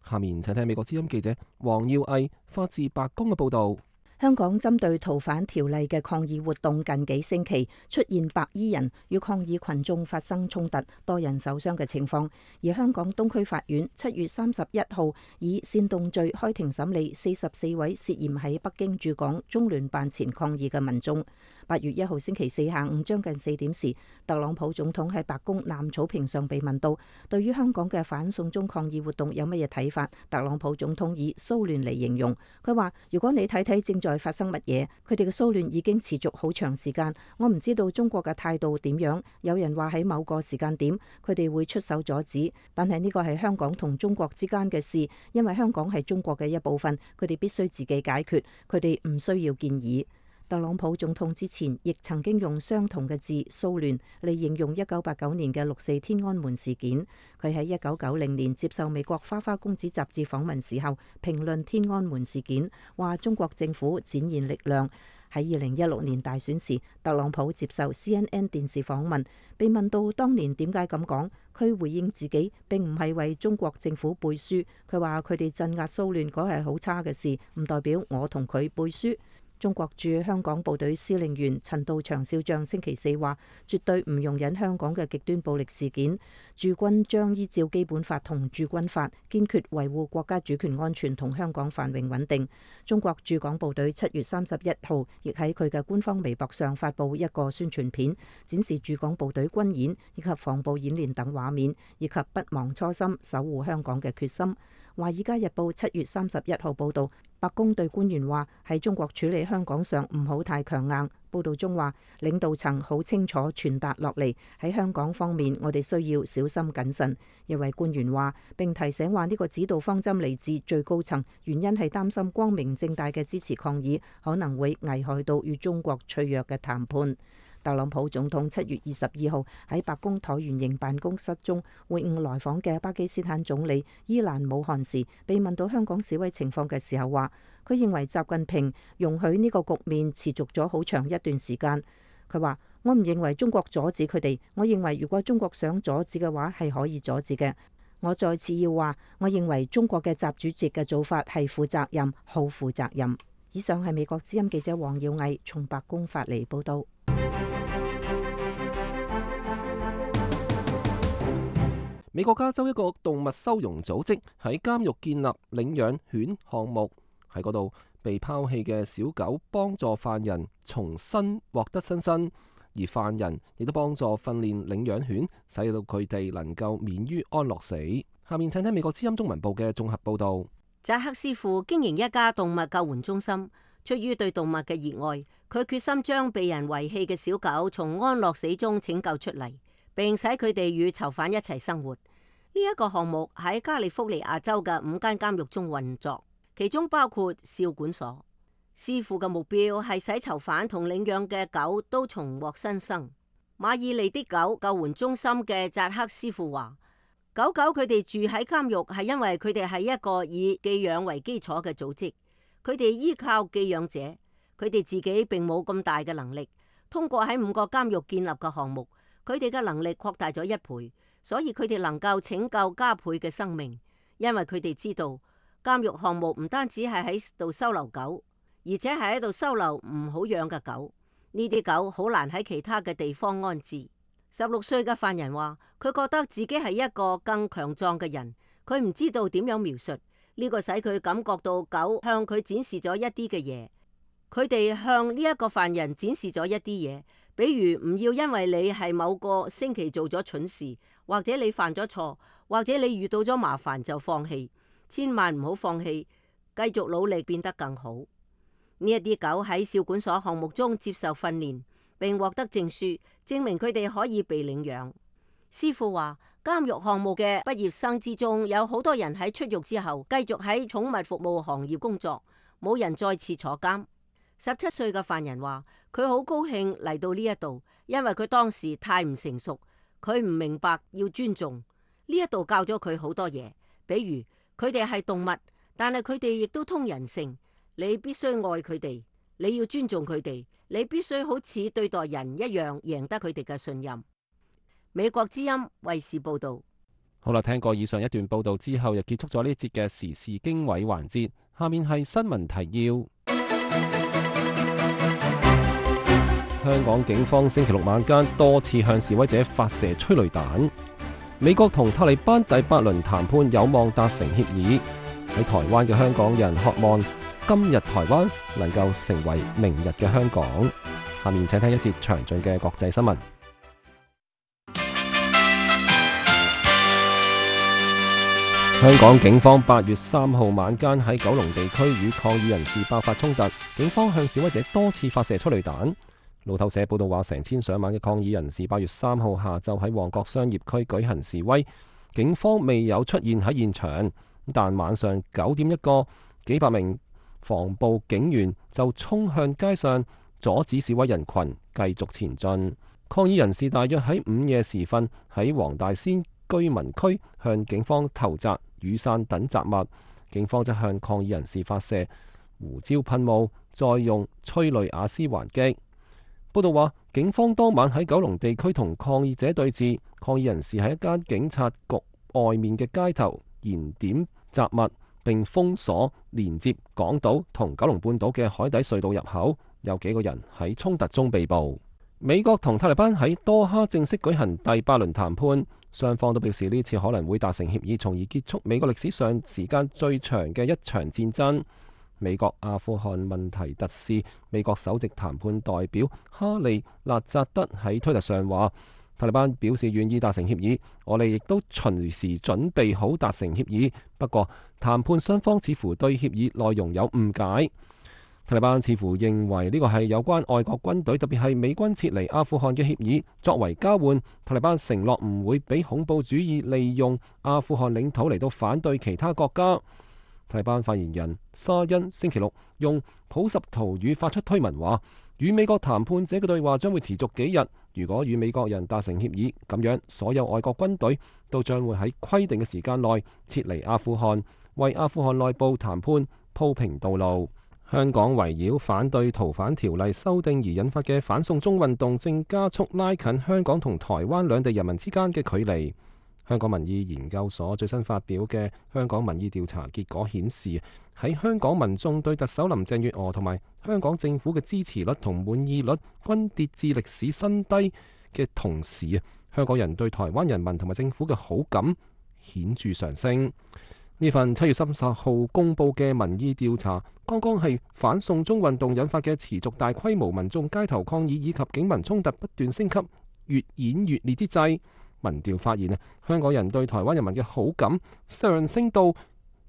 下面請聽美國之音記者黃耀毅發自白宮嘅報導。香港針對逃犯條例嘅抗議活動近幾星期出現白衣人與抗議群眾發生衝突，多人受傷嘅情況。而香港東區法院7月31號以煽動罪開庭審理44位涉嫌喺北京駐港中聯辦前抗議嘅民眾。8月1號星期四下午將近4點時，特朗普總統喺白宮南草坪上被問到，對於香港嘅反送中抗議活動有乜嘢睇法？特朗普總統以騷亂嚟形容，佢話：如果你睇睇正在發生乜嘢，佢哋嘅騷亂已經持續好長時間，我唔知道中國嘅態度點樣。有人話喺某個時間點，佢哋會出手阻止，但係呢個係香港同中國之間嘅事，因為香港係中國嘅一部分，佢哋必須自己解決，佢哋唔需要建議。特朗普總統之前亦曾經用相同嘅字騷亂嚟形容1989年嘅6.4天安門事件。佢喺1990年接受美國花花公子雜誌訪問時候，評論天安門事件，話中國政府展現力量。喺2016年大選時，特朗普接受 CNN 電視訪問，被問到當年點解咁講，佢回應自己並唔係為中國政府背書。佢話佢哋鎮壓騷亂嗰係好差嘅事，唔代表我同佢背書。中國駐香港部隊司令員陳道祥少將星期四話，絕對唔容忍香港嘅極端暴力事件，駐軍將依照基本法同駐軍法，堅決維護國家主權安全同香港繁榮穩定。中國駐港部隊7月31號亦喺佢嘅官方微博上發布一個宣傳片，展示駐港部隊軍演以及防暴演練等畫面，以及不忘初心、守護香港嘅決心。華爾街日報7月31號報導，白宮對官員話喺中國處理香港上唔好太強硬。報導中話，領導層好清楚傳達落嚟，喺香港方面我哋需要小心謹慎。一位官員話，並提醒話呢個指導方針嚟自最高層，原因係擔心光明正大嘅支持抗議可能會危害到與中國脆弱嘅談判。特朗普總統7月22號喺白宮橢圓形辦公室中會晤來訪嘅巴基斯坦總理伊蘭姆汗時，被問到香港示威情況嘅時候，話佢認為習近平容許呢個局面持續咗好長一段時間。佢話：我唔認為中國阻止佢哋，我認為如果中國想阻止嘅話係可以阻止嘅。我再次要話，我認為中國嘅習主席嘅做法係負責任，好負責任。以上係美國之音記者黃耀毅從白宮發嚟報道。美國加州一個動物收容組織喺監獄建立領養犬項目，喺嗰度被拋棄嘅小狗幫助犯人重新獲得新生，而犯人亦都幫助訓練領養犬，使到佢哋能夠免於安樂死。下面請聽美國之音中文部嘅綜合報道。扎克師傅經營一家動物救援中心，出於對動物嘅熱愛，佢決心將被人遺棄嘅小狗從安樂死中拯救出嚟，並使佢哋與囚犯一齊生活。呢一個項目喺加利福尼亞州嘅5間監獄中運作，其中包括少管所。師傅嘅目標係使囚犯同領養嘅狗都重獲新生。馬爾利的狗救援中心嘅扎克師傅話：狗狗佢哋住喺監獄係因為佢哋係一個以寄養為基礎嘅組織，佢哋依靠寄養者，佢哋自己並冇咁大嘅能力。通過喺5個監獄建立嘅項目，佢哋嘅能力擴大咗1倍，所以佢哋能夠拯救加倍嘅生命。因為佢哋知道監獄項目唔單止係喺度收留狗，而且係喺度收留唔好養嘅狗。呢啲狗好難喺其他嘅地方安置。16歲嘅犯人話，佢覺得自己係一個更強壯嘅人，佢唔知道點樣描述呢個，使佢感覺到狗向佢展示咗一啲嘅嘢。佢哋向呢一個犯人展示咗一啲嘢，比如唔要因為你係某個星期做咗蠢事，或者你犯咗錯，或者你遇到咗麻煩就放棄。千萬唔好放棄，繼續努力變得更好。呢一啲狗喺少管所項目中接受訓練，並獲得證書，證明佢哋可以被領養。師傅話，監獄項目嘅畢業生之中，有好多人喺出獄之後繼續喺寵物服務行業工作，冇人再次坐監。17歲嘅犯人話，佢好高興嚟到呢一度，因為佢當時太唔成熟，佢唔明白要尊重。呢一度教咗佢好多嘢，比如佢哋係動物，但係佢哋亦都通人性。你必須愛佢哋，你要尊重佢哋，你必須好似對待人一樣，贏得佢哋嘅信任。美國之音衛視報道。好啦，聽過以上一段報道之後，又結束咗呢一節嘅時事經緯環節。下面係新聞提要。香港警方星期六晚間多次向示威者發射催淚彈。美國同塔利班第8輪談判有望達成協議。喺台灣嘅香港人渴望今日台灣能夠成為明日嘅香港。下面請聽一節詳盡嘅國際新聞。香港警方8月3號晚間喺九龍地區與抗議人士爆發衝突，警方向示威者多次發射催淚彈。路透社報道話，成千上萬嘅抗議人士8月3號下晝喺旺角商業區舉行示威，警方未有出現喺現場，但晚上9點一個幾百名防暴警員就衝向街上，阻止示威人群繼續前進。抗議人士大約喺午夜時分喺黃大仙居民區向警方投擲雨傘等雜物，警方則向抗議人士發射胡椒噴霧，再用催淚瓦斯還擊。報道話，警方當晚喺九龍地區同抗議者對峙，抗議人士喺一間警察局外面嘅街頭燃點雜物，並封鎖連接港島同九龍半島嘅海底隧道入口，有幾個人喺衝突中被捕。美國同塔利班喺多哈正式舉行第8輪談判，雙方都表示呢次可能會達成協議，從而結束美國歷史上時間最長嘅一場戰爭。美國阿富汗問題特使、美國首席談判代表哈利納扎德喺推特上話，塔利班表示願意達成協議，我哋亦都隨時準備好達成協議。不過談判雙方似乎對協議內容有誤解。塔利班似乎認為呢個係有關外國軍隊，特別係美軍撤離阿富汗嘅協議。作為交換，塔利班承諾唔會俾恐怖主義利用阿富汗領土嚟到反對其他國家。塔利班發言人沙恩星期六用普什圖語發出推文話，與美國談判者嘅對話將會持續幾日。如果與美國人達成協議，咁樣所有外國軍隊都將會喺規定嘅時間內撤離阿富汗，為阿富汗內部談判鋪平道路。香港圍繞反對逃犯條例修訂而引發嘅反送中運動正加速拉近香港同台灣兩地人民之間嘅距離。香港民意研究所最新發表嘅香港民意調查結果顯示，喺香港民眾對特首林鄭月娥同埋香港政府嘅支持率同滿意率均跌至歷史新低嘅同時，香港人對台灣人民同埋政府嘅好感顯著上升。呢份7月30號公佈嘅民意調查，剛剛係反送中運動引發嘅持續大規模民眾街頭抗議以及警民衝突不斷升級、越演越烈之際，民調發現香港人對台灣人民嘅好感上升到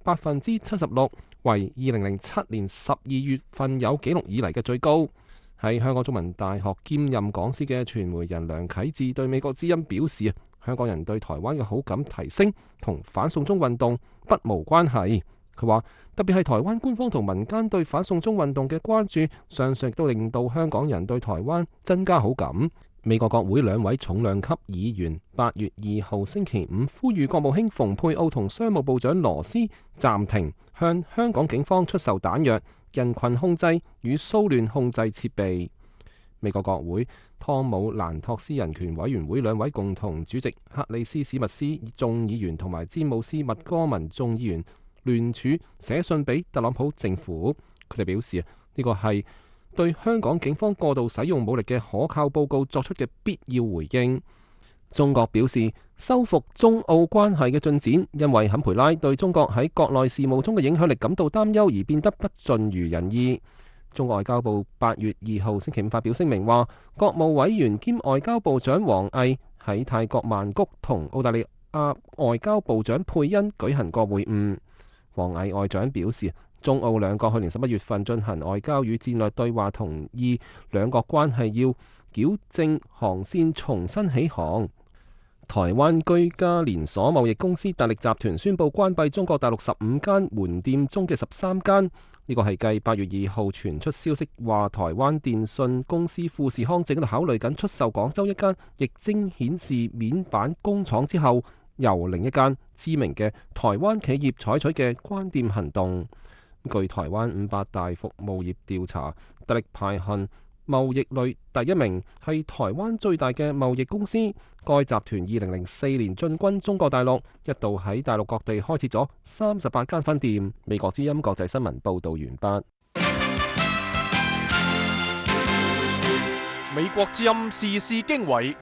76%，為2007年12月份有紀錄以嚟嘅最高。喺香港中文大學兼任講師嘅傳媒人梁啟智對美國之音表示，香港人對台灣嘅好感提升同反送中運動不無關係。佢話特別係台灣官方同民間對反送中運動嘅關注，相信亦都令到香港人對台灣增加好感。美國國會兩位重量級議員8月2號星期五呼籲國務卿蓬佩奧同商務部長羅斯暫停向香港警方出售彈藥、人群控制與騷亂控制設備。美國國會湯姆蘭托斯人權委員會兩位共同主席克里斯史密斯眾議員同埋詹姆斯麥哥文眾議員聯署寫信俾特朗普政府，佢哋表示呢個係對香港警方過度使用武力嘅可靠報告作出嘅必要回應。中國表示修復中澳關係嘅進展，因為坎培拉對中國喺國內事務中嘅影響力感到擔憂而變得不盡如人意。中國外交部8月2號星期五發表聲明話，國務委員兼外交部長王毅喺泰國曼谷同澳大利亞外交部長佩恩舉行過會晤。王毅外長表示，中澳兩國去年11月份進行外交與戰略對話，同意兩國關係要矯正航線，重新起航。台灣居家連鎖貿易公司達力集團宣布關閉中國大陸15間門店中嘅13間，呢個係繼8月2號傳出消息話台灣電信公司富士康正喺度考慮緊出售廣州一間液晶顯示面板工廠之後，由另一間知名嘅台灣企業採取嘅關店行動。據台灣500大服務業調查，達力排行貿易類第一名，係台灣最大嘅貿易公司。該集團2004年進軍中國大陸，一度喺大陸各地開設咗38間分店。美國之音國際新聞報道完畢。美國之音時事經緯，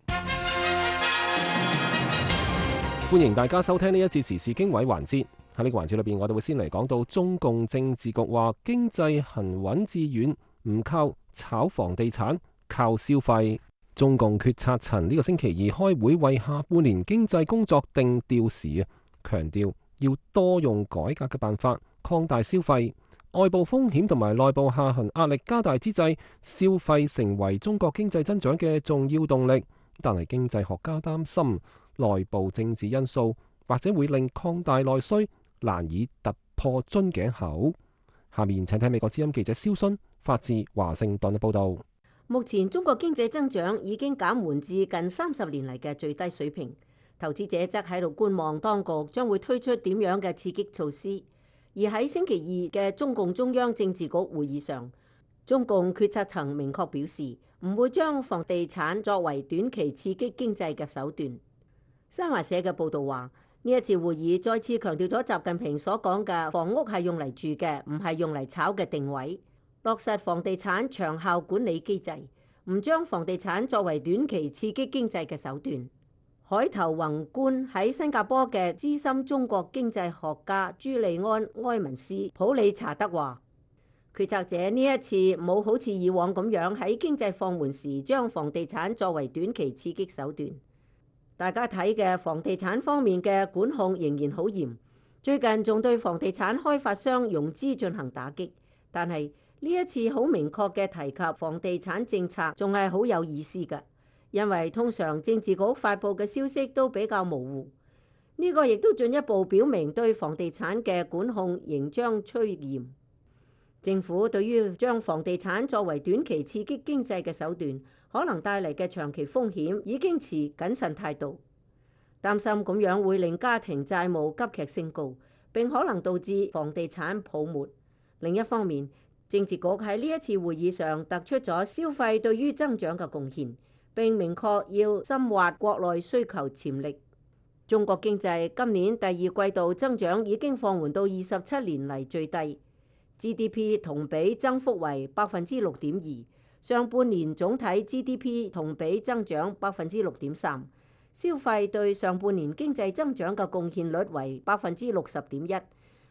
歡迎大家收聽呢一節時事經緯環節。喺呢個環節裏邊，我哋會先嚟講到中共政治局話經濟行穩致遠，唔靠炒房地產，靠消費。中共決策層呢個星期二開會為下半年經濟工作定調時，強調要多用改革嘅辦法擴大消費。外部風險同埋內部下行壓力加大之際，消費成為中國經濟增長嘅重要動力。但係經濟學家擔心內部政治因素或者會令擴大內需難以突破樽頸口。下面請睇美國之音記者蕭勳發自華盛頓嘅報道。目前中國經濟增長已經減緩至近30年嚟嘅最低水平，投資者則喺度觀望當局將會推出點樣嘅刺激措施。而喺星期二嘅中共中央政治局會議上，中共決策層明確表示唔會將房地產作為短期刺激經濟嘅手段。新華社嘅報導話，呢一次會議再次強調咗習近平所講嘅房屋係用嚟住嘅，唔係用嚟炒嘅定位。落實房地產長效管理機制，唔將房地產作為短期刺激經濟嘅手段。海頭宏觀喺新加坡嘅資深中國經濟學家朱利安·埃文斯普里查德話，決策者呢一次冇好似以往咁樣喺經濟放緩時將房地產作為短期刺激手段。大家睇嘅房地產方面嘅管控仍然好嚴，最近仲對房地產開發商融資進行打擊，但係呢一次好明確嘅提及房地產政策，仲係好有意思嘅，因為通常政治局發布嘅消息都比較模糊。呢個亦都進一步表明對房地產嘅管控仍將趨嚴。政府對於將房地產作為短期刺激經濟嘅手段，可能帶嚟嘅長期風險已經持謹慎態度，擔心咁樣會令家庭債務急劇升高，並可能導致房地產泡沫。另一方面，政治局喺呢一次會議上突出咗消費對於增長嘅貢獻，並明確要深挖國內需求潛力。中國經濟今年第二季度增長已經放緩到27年嚟最低 ，GDP 同比增幅為6.2%，上半年總體 GDP 同比增長6.3%，消費對上半年經濟增長嘅貢獻率為60.1%。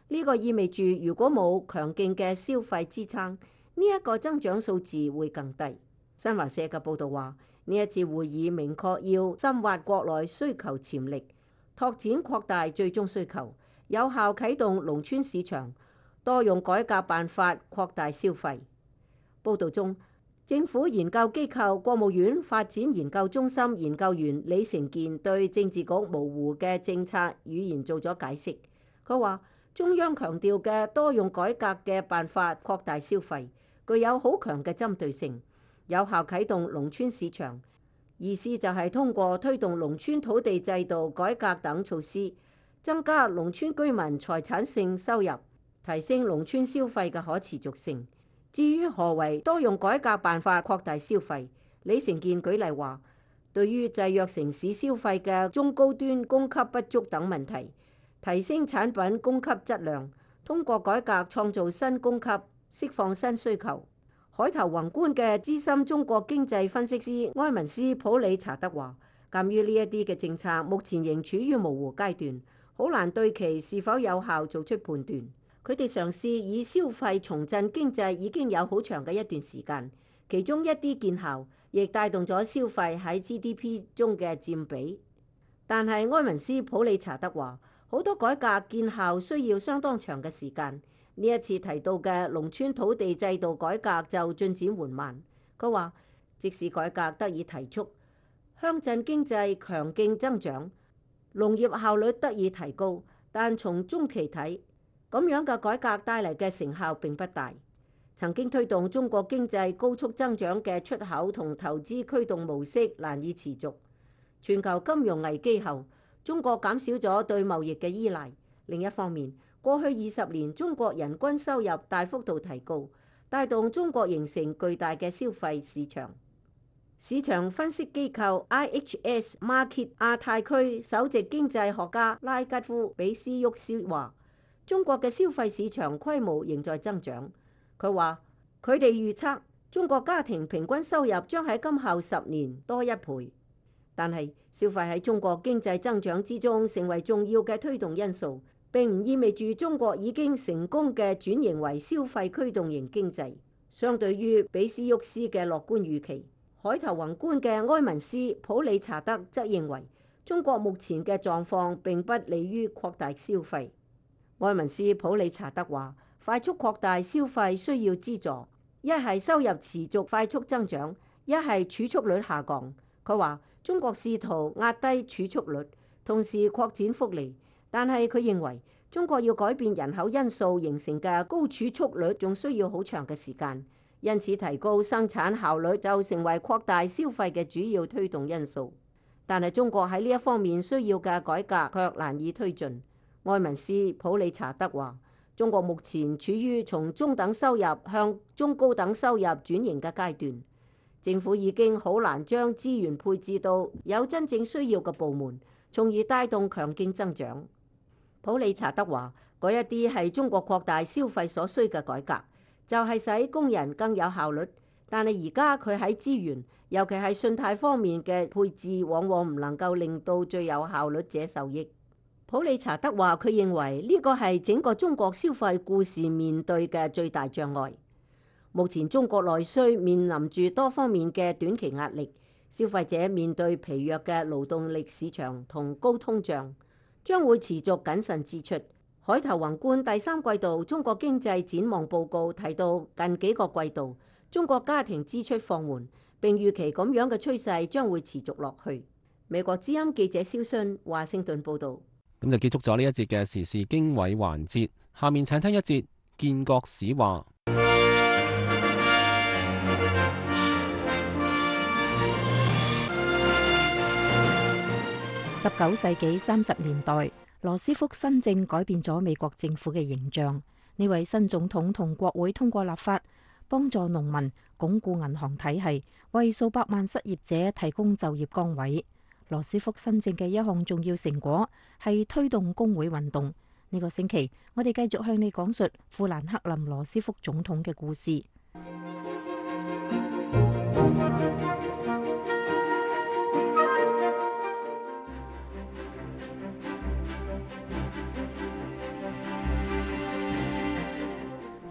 呢個意味住，如果冇強勁嘅消費支撐，呢一個增長數字會更低。新華社嘅報導話，呢一次會議明確要深挖國內需求潛力，拓展擴大最終需求，有效啟動農村市場，多用改革辦法擴大消費。報導中，政府研究機構國務院發展研究中心研究員李成健對政治局模糊嘅政策語言做咗解釋。佢話，中央強調嘅多用改革嘅辦法擴大消費，具有好強嘅針對性，有效啟動農村市場。意思就係通過推動農村土地制度改革等措施，增加農村居民財產性收入，提升農村消費嘅可持續性。至於何為多用改革辦法擴大消費，李成健舉例話，對於制約城市消費嘅中高端供給不足等問題，提升產品供給質量，通過改革創造新供給，釋放新需求。海頭宏觀嘅資深中國經濟分析師埃文斯普里查德話，鑑於呢一啲嘅政策目前仍處於模糊階段，好難對其是否有效做出判斷。佢哋嘗試以消費重振經濟已經有好長嘅一段時間，其中一啲見效，亦帶動咗消費喺 GDP 中嘅佔比。但係埃文斯普理查德話，好多改革見效需要相當長嘅時間。呢一次提到嘅農村土地制度改革就進展緩慢。佢話，即使改革得以提速，鄉鎮經濟強勁增長，農業效率得以提高，但從中期睇，咁樣嘅改革帶嚟嘅成效並不大。曾經推動中國經濟高速增長嘅出口同投資驅動模式難以持續。全球金融危機後，中國減少咗對貿易嘅依賴。另一方面，過去20年中國人均收入大幅度提高，帶動中國形成巨大嘅消費市場。市場分析機構 IHS Markit 亞太區首席經濟學家拉吉夫比斯沃斯話，中國嘅消費市場規模仍在增長。佢話，佢哋預測中國家庭平均收入將喺今後10年多1倍。但係消費喺中國經濟增長之中成為重要嘅推動因素，並唔意味住中國已經成功嘅轉型為消費驅動型經濟。相對於比斯沃斯嘅樂觀預期，海頭宏觀嘅埃文斯普理查德則認為，中國目前嘅狀況並不利於擴大消費。埃文斯普理查德話，快速擴大消費需要資助，一係收入持續快速增長，一係儲蓄率下降。佢話，中國試圖壓低儲蓄率，同時擴展福利，但係佢認為中國要改變人口因素形成嘅高儲蓄率仲需要好長嘅時間，因此提高生產效率就成為擴大消費嘅主要推動因素。但係中國喺呢一方面需要嘅改革卻難以推進。埃文斯普理查德話，中國目前處於從中等收入向中高等收入轉型嘅階段。政府已經好難將資源配置到有真正需要嘅部門，從而帶動強勁增長。普理查德話，嗰一啲係中國擴大消費所需嘅改革，就係使工人更有效率。但係而家佢喺資源，尤其係信貸方面嘅配置，往往唔能夠令到最有效率者受益。普理查德話，佢認為呢個係整個中國消費故事面對嘅最大障礙。目前中國內需面臨住多方面嘅短期壓力，消費者面對疲弱嘅勞動力市場同高通脹，將會持續謹慎支出。海頭宏觀第3季度中國經濟展望報告提到，近幾個季度中國家庭支出放緩，並預期咁樣嘅趨勢將會持續落去。美國之音記者蕭순華盛頓報導。咁就結束咗呢一節嘅時事經緯環節，下面請聽一節建國史話。19世紀30年代，羅斯福新政改變咗美國政府嘅形象。呢位新總統同國會通過立法，幫助農民，鞏固銀行體系，為數百萬失業者提供就業崗位。羅斯福新政嘅一項重要成果係推動工會運動。呢個星期，我哋繼續向你講述富蘭克林羅斯福總統嘅故事。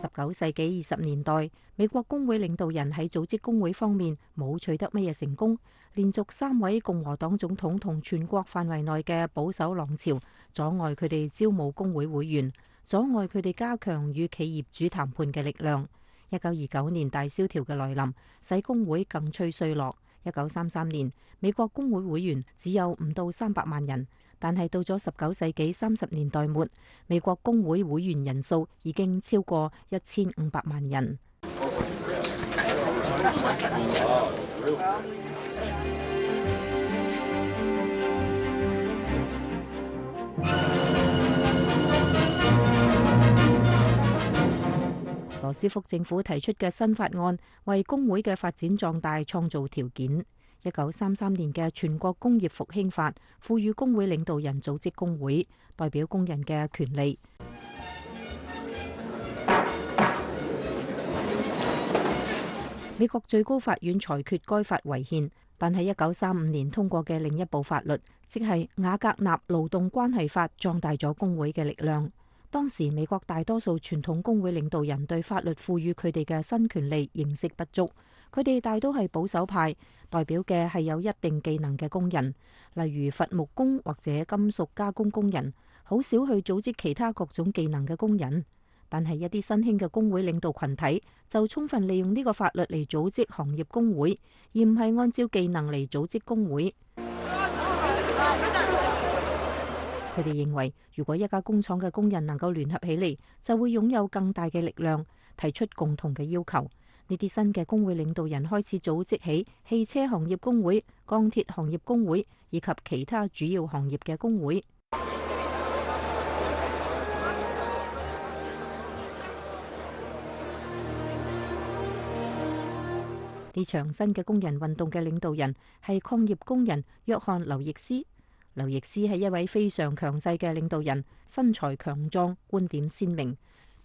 19世紀20年代，美國工會領導人喺組織工會方面冇取得乜嘢成功，連續3位共和黨總統同全國範圍內嘅保守浪潮，阻礙佢哋招募工會會員，阻礙佢哋加強與企業主談判嘅力量。1929年大蕭條嘅來臨，使工會更趨衰落。1933年，美國工會會員只有唔到300萬人。但係到咗19世紀30年代末，美國工會會員人數已經超過1500萬人。羅斯福政府提出嘅新法案，為工會嘅發展壯大創造條件。1933年嘅全國工業復興法賦予工會領導人組織工會，代表工人嘅權利。美國最高法院裁決該法違憲，但係1935年通過嘅另一部法律，即係瓦格納勞動關係法，壯大咗工會嘅力量。當時美國大多數傳統工會領導人對法律賦予佢哋嘅新權利認識不足，佢哋大都係保守派，代表嘅係有一定技能嘅工人，例如伐木工或者金屬加工工人，好少去組織其他各種技能嘅工人。但係一啲新興嘅工會領導群體就充分利用呢個法律嚟組織行業工會，而唔係按照技能嚟組織工會。佢哋認為，如果一家工廠嘅工人能夠聯合起嚟，就會擁有更大嘅力量，提出共同嘅要求。呢啲新嘅工會領導人開始組織起汽車行業工會、鋼鐵行業工會以及其他主要行業嘅工會。呢場新嘅工人運動嘅領導人係礦業工人約翰·劉易斯。劉易斯係一位非常強勢嘅領導人，身材強壯，觀點鮮明。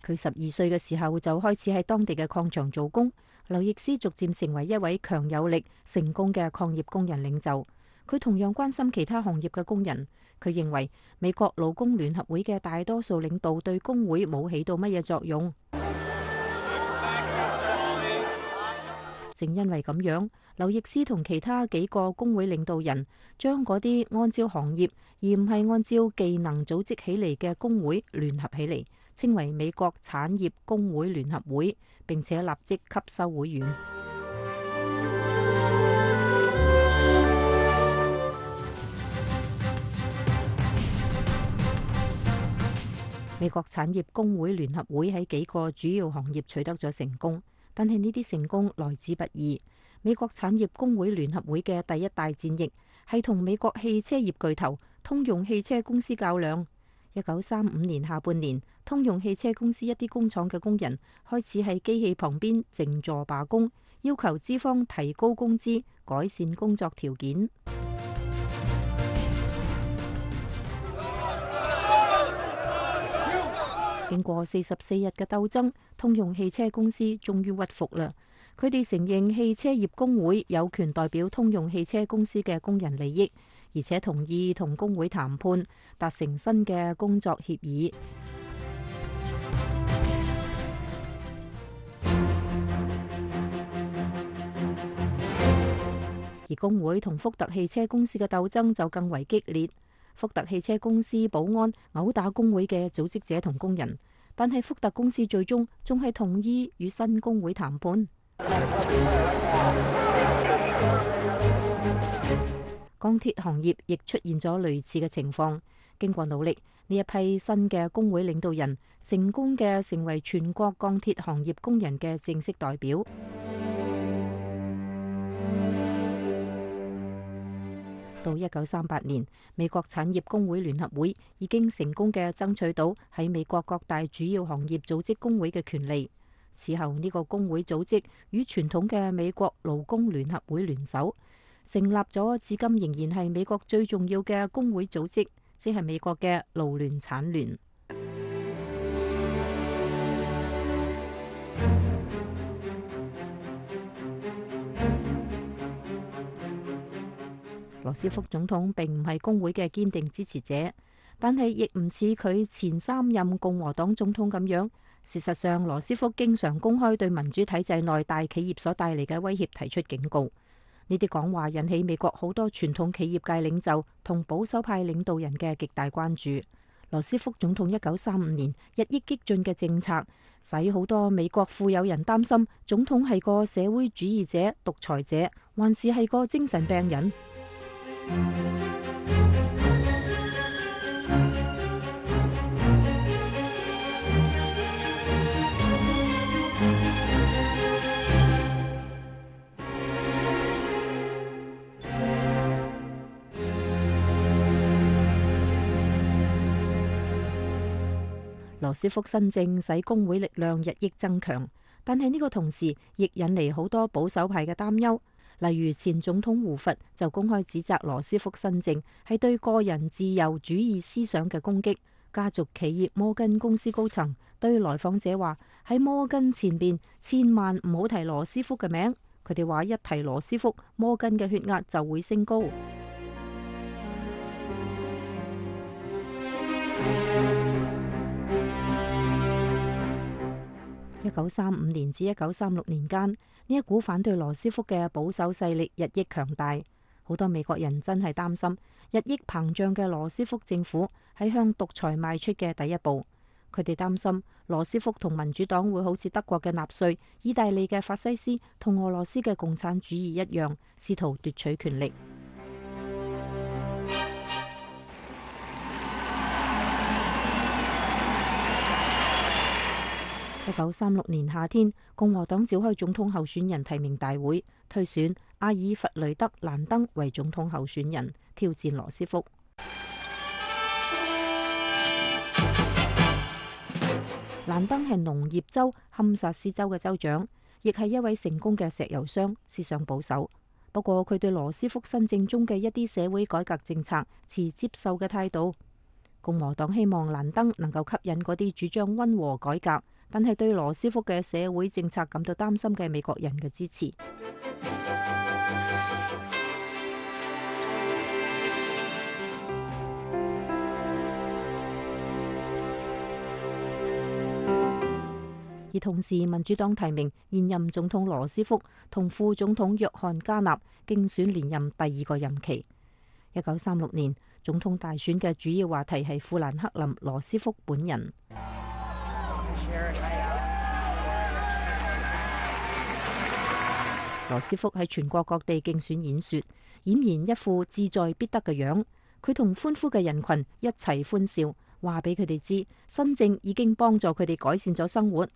佢12歲嘅時候就開始喺當地嘅礦場做工。劉易斯逐漸成為一位強有力、成功嘅礦業工人領袖。佢同樣關心其他行業嘅工人。佢認為美國勞工聯合會嘅大多數領導對工會冇起到乜嘢作用。正因為咁樣，劉易斯同其他幾個工會領導人將嗰啲按照行業而唔係按照技能組織起嚟嘅工會聯合起嚟，稱為美國產業工會聯合會，並且立即吸收會員。美國產業工會聯合會喺幾個主要行業取得咗成功。但係呢啲成功來之不易。美國產業工會聯合會嘅第一大戰役係同美國汽車業巨頭通用汽車公司較量。1935年下半年，通用汽車公司一啲工廠嘅工人開始喺機器旁邊靜坐罷工，要求資方提高工資、改善工作條件。經過44日嘅鬥爭，通用汽車公司終於屈服啦。佢哋承認汽車業工會有權代表通用汽車公司嘅工人利益，而且同意同工會談判，達成新嘅工作協議。而工會同福特汽車公司嘅鬥爭就更為激烈。福特汽車公司保安毆打工會嘅組織者同工人，但係福特公司最終仲係同意與新工會談判。鋼鐵行業亦出現咗類似嘅情況。經過努力，呢一批新嘅工會領導人成功嘅成為全國鋼鐵行業工人嘅正式代表。到1938年，美國產業工會聯合會已經成功嘅爭取到喺美國各大主要行業組織工會嘅權利。此後呢個工會組織與傳統嘅美國勞工聯合會聯手，成立咗至今仍然係美國最重要嘅工會組織，即係美國嘅勞聯產聯。羅斯福總統並唔係工會嘅堅定支持者，但係亦唔似佢前3任共和黨總統咁樣。事實上，羅斯福經常公開對民主體制內大企業所帶嚟嘅威脅提出警告。呢啲講話引起美國好多傳統企業界領袖同保守派領導人嘅極大關注。羅斯福總統1935年日益激進嘅政策，使好多美國富有人擔心總統係個社會主義者、獨裁者，還是係個精神病人。羅斯福新政使工會力量日益增強，但係呢個同時亦引嚟好多保守派嘅擔憂。例如前總統胡佛就公開指責羅斯福新政係對個人自由主義思想嘅攻擊。家族企業摩根公司高層對來訪者話：喺摩根前邊千萬唔好提羅斯福嘅名。佢哋話一提羅斯福，摩根嘅血壓就會升高。1935年至1936年間，呢一股反對羅斯福嘅保守勢力日益強大，好多美國人真係擔心日益膨脹嘅羅斯福政府係向獨裁邁出嘅第一步。佢哋擔心羅斯福同民主黨會好似德國嘅納粹、意大利嘅法西斯同俄羅斯嘅共產主義一樣，試圖奪取權力。1936年夏天，共和黨召開總統候選人提名大會，推選阿爾弗雷德·蘭登為總統候選人，挑戰羅斯福。蘭登係農業州堪薩斯州嘅州長，亦係一位成功嘅石油商，思想保守。不過佢對羅斯福新政中嘅一啲社會改革政策持接受嘅態度。共和黨希望蘭登能夠吸引嗰啲主張溫和改革，但係對羅斯福嘅社會政策感到擔心嘅美國人嘅支持。而同時，民主黨提名現任總統羅斯福同副總統約翰加納競選連任第二個任期。1936年總統大選嘅主要話題係富蘭克林·羅斯福本人。羅斯福喺全國各地競選演說，儼然一副志在必得嘅樣。佢同歡呼嘅人群一齊歡笑，話俾佢哋知新政已經幫助佢哋改善咗生活。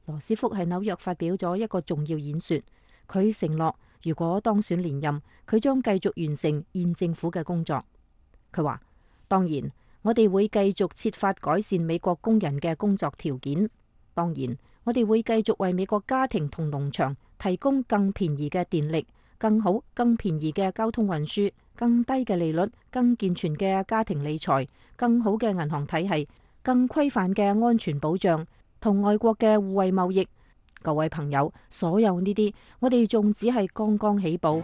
羅斯福喺紐約發表咗一個重要演說，佢承諾如果當選連任，佢將繼續完成現政府嘅工作。佢話：當然，我哋會繼續設法改善美國工人嘅工作條件。當然，我哋會繼續為美國家庭同農場提供更便宜嘅電力、更好、更便宜嘅交通運輸、更低嘅利率、更健全嘅家庭理財、更好嘅銀行體系、更規範嘅安全保障同外國嘅互惠貿易。各位朋友，所有呢啲，我哋仲只係剛剛起步。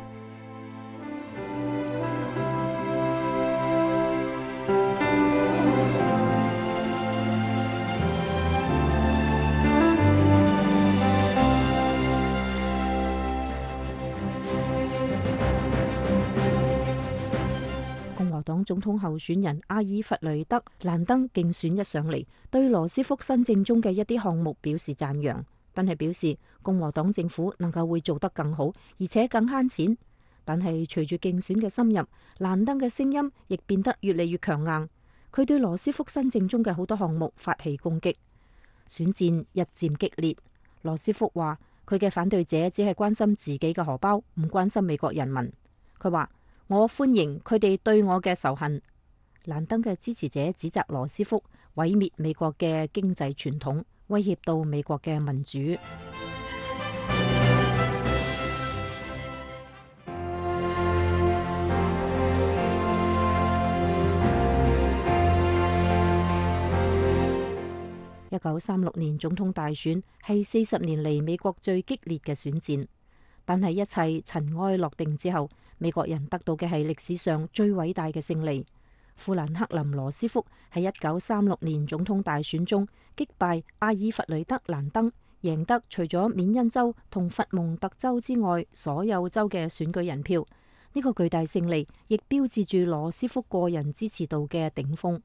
共和黨總統候選人阿爾弗雷德·蘭登競選一上嚟，對羅斯福新政中嘅一啲項目表示讚揚，但係表示共和黨政府能夠會做得更好，而且更慳錢。但係隨住競選嘅深入，蘭登嘅聲音亦變得越嚟越強硬。佢對羅斯福新政中嘅好多項目發起攻擊，選戰日漸激烈。羅斯福話佢嘅反對者只係關心自己嘅荷包，唔關心美國人民。佢話：我歡迎佢哋對我嘅仇恨。蘭登嘅支持者指責羅斯福毀滅美國嘅經濟傳統，威脅到美國嘅民主。1936年總統大選係40年嚟美國最激烈嘅選戰，但係一切塵埃落定之後，美國人得到嘅係歷史上最偉大嘅勝利。富蘭克林·羅斯福喺1936年總統大選中擊敗阿爾弗雷德·蘭登，贏得除咗緬因州同佛蒙特州之外所有州嘅選舉人票。呢個巨大勝利亦標誌住羅斯福個人支持度嘅頂峰。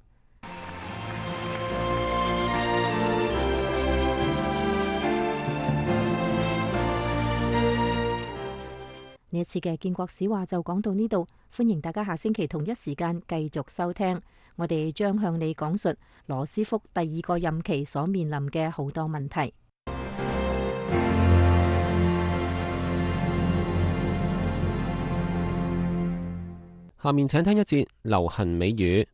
呢一次嘅建國史話就講到呢度，歡迎大家下星期同一時間繼續收聽，我哋將向你講述羅斯福第二個任期所面臨嘅好多問題。下面請聽一節流行美語。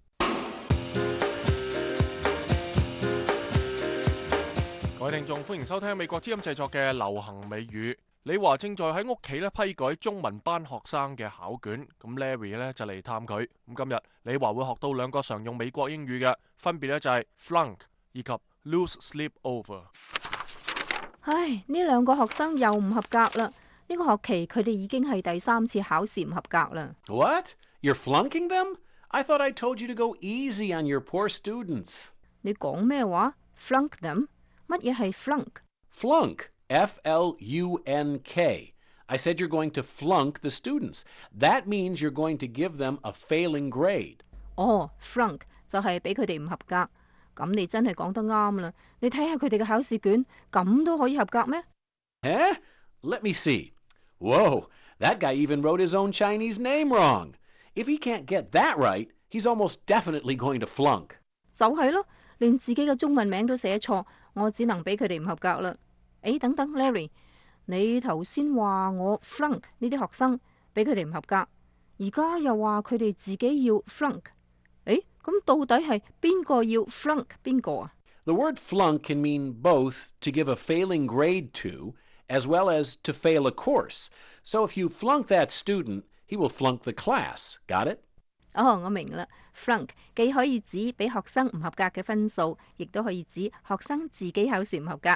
各位聽眾，歡迎收聽美國之音製作嘅流行美語。李華正在喺屋企咧批改中文班學生嘅考卷，咁 Larry 咧就嚟探佢。咁今日李華會學到兩個常用美國英語嘅，分別咧就係 flunk 以及 lose sleep over。唉，呢兩個學生又唔合格啦！呢個學期佢哋已經係第3次考試唔合格啦。What? You're flunking them? I thought I told you to go easy on your poor students. 你講咩話？Flunk them？乜嘢係 flunk？ Flunk. F-L-U-N-K. I said you're going to flunk the students. That means you're going to give them a failing grade. 哦，flunk 就係俾佢哋唔合格。咁你真係講得啱啦！你睇下佢哋嘅考試卷，咁都可以合格咩？ Eh? Let me see. Whoa, that guy even wrote his own Chinese name wrong. If he can't get that right, he's almost definitely going to flunk. 就係咯，連自己嘅中文名都寫錯，我只能俾佢哋唔合格啦。誒，等等 ，Larry， 你頭先話我 flunk 呢啲學生，俾佢哋唔合格，而家又話佢哋自己要 flunk。誒，咁到底係邊個要 flunk 邊個啊？ The word flunk can mean both to give a failing grade to, as well as to fail a course. So if you flunk that student, he will flunk the class. Got it? 哦，我明啦。flunk 既可以指俾學生唔合格嘅分數，亦都可以指學生自己考試唔合格。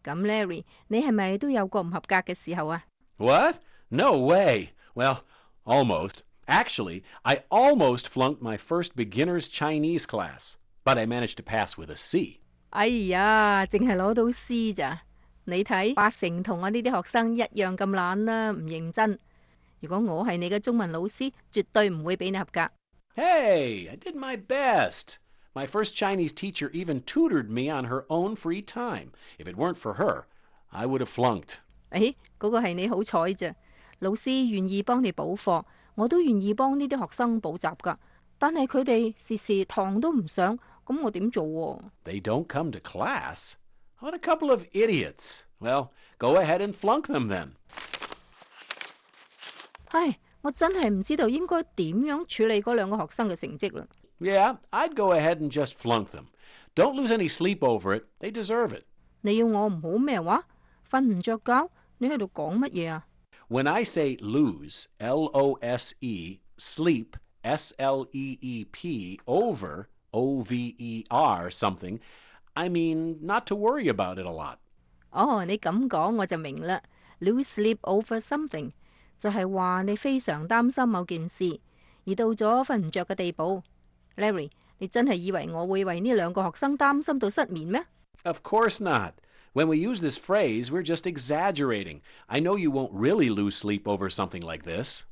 咁 Larry， 你係咪都有過唔合格嘅時候啊？ What? No way. Well, almost. Actually, I almost flunked my first beginner's Chinese class, but I managed to pass with a C. 哎呀，淨係攞到 C 咋？你睇80%同我呢啲學生一樣咁懶啦，唔認真。如果我係你嘅中文老師，絕對唔會俾你合格。Hey, I did my best. My first Chinese teacher even tutored me on her own free time. If it weren't for her, I would have flunked. 誒，嗰個係你好彩咋。老師願意幫你補課，我都願意幫呢啲學生補習㗎。但係佢哋時時堂都唔上，咁我點做喎？ They don't come to class? What a couple of idiots. Well, go ahead and flunk them then. 唉，我真係唔知道應該點樣處理嗰兩個學生嘅成績啦。Yeah, I'd go ahead and just flunk them. Don't lose any sleep over it. They deserve it. 你要我唔好咩話？瞓唔着覺？你喺度講乜嘢啊？ When I say lose, L-O-S-E, sleep, S-L-E-E-P, over, O-V-E-R, something, I mean not to worry about it a lot. 哦，你咁講我就明啦。Lose sleep over something 就係話你非常擔心某件事，而到咗瞓唔着嘅地步。Larry， 你真係以為我會為呢兩個學生擔心到失眠咩？ Of course not. When we use this phrase, we're just exaggerating. I know you won't really lose sleep over something like this.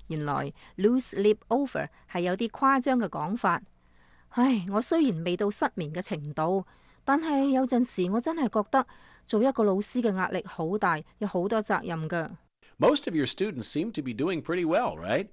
原來 lose sleep over 係有啲誇張嘅講法。唉，我雖然未到失眠嘅程度，但係有陣時我真係覺得做一個老師嘅壓力好大，有好多責任㗎。Most of your students seem to be doing pretty well, right?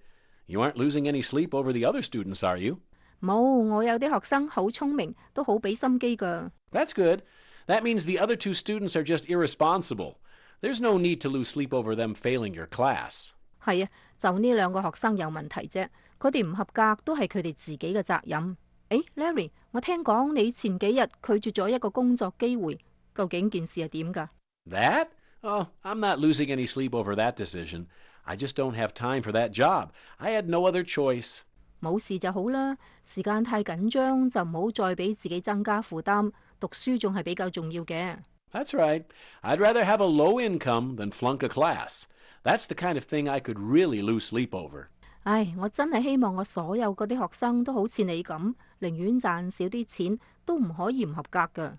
You aren't losing any sleep over the other students, are you? 冇，我有啲學生好聰明，都好俾心機㗎。 That's good. That means the other two students are just irresponsible. There's no need to lose sleep over them failing your class. 係啊，就呢兩個學生有問題啫，佢哋唔合格都係佢哋自己嘅責任。誒 ，Larry， 我聽講你前幾日拒絕咗一個工作機會，究竟件事係點㗎？ That? Oh, I'm not losing any sleep over that decision. I just don't have time for that job. I had no other choice. 冇事就好啦，時間太緊張就唔好再俾自己增加負擔，讀書仲係比較重要嘅。 That's right. I'd rather have a low income than flunk a class. That's the kind of thing I could really lose sleep over. 唉，我真係希望我所有嗰啲學生都好似你咁，寧願賺少啲錢，都唔可以唔合格㗎。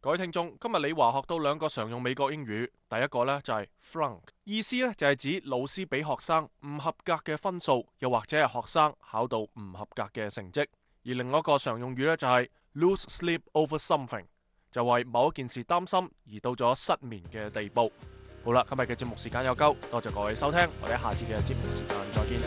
各位聽眾，今日李華學到兩個常用美國英語，第一個呢就係 flunk， 意思呢就係指老師俾學生唔合格嘅分數，又或者係學生考到唔合格嘅成績。而另一個常用語呢就係 lose sleep over something， 就為某一件事擔心而到咗失眠嘅地步。好啦，今日嘅節目時間有夠，多謝各位收聽，我哋下次嘅節目時間再見。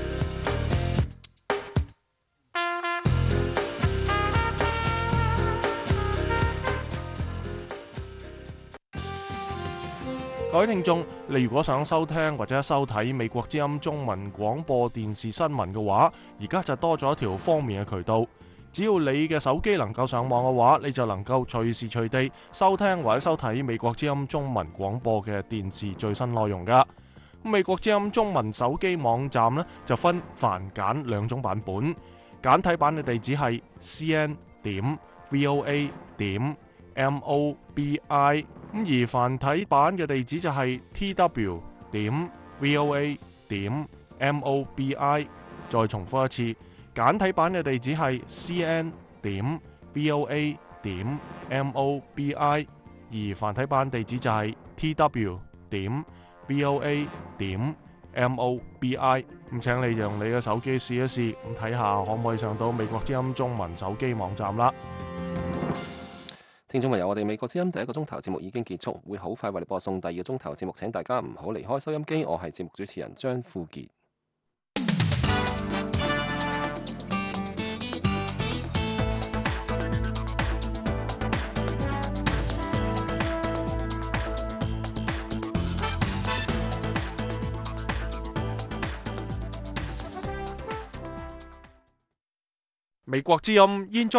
各位聽眾，你如果想收聽或者收睇美國之音中文廣播電視新聞嘅話，而家就多咗一條方便嘅渠道。只要你嘅手機能夠上網嘅話，你就能夠隨時隨地收聽或者收睇美國之音中文廣播嘅電視最新內容㗎。美國之音中文手機網站呢，就分繁簡兩種版本，簡體版嘅地址係 cn.voa.mobi， 而繁體版嘅地址就係 tw.voa.mobi。 再重複一次，簡體版嘅地址係 cn.voa.mobi，而繁體版地址就係 tw.voa.mobi。咁請你用你嘅手機試一試，咁睇下可唔可以上到美國之音中文手機網站啦。聽眾朋友，我哋美國之音第一個鐘頭節目已經結束，會好快為你播送第二個鐘頭節目，請大家唔好離開收音機。我係節目主持人張富傑。美國之音現在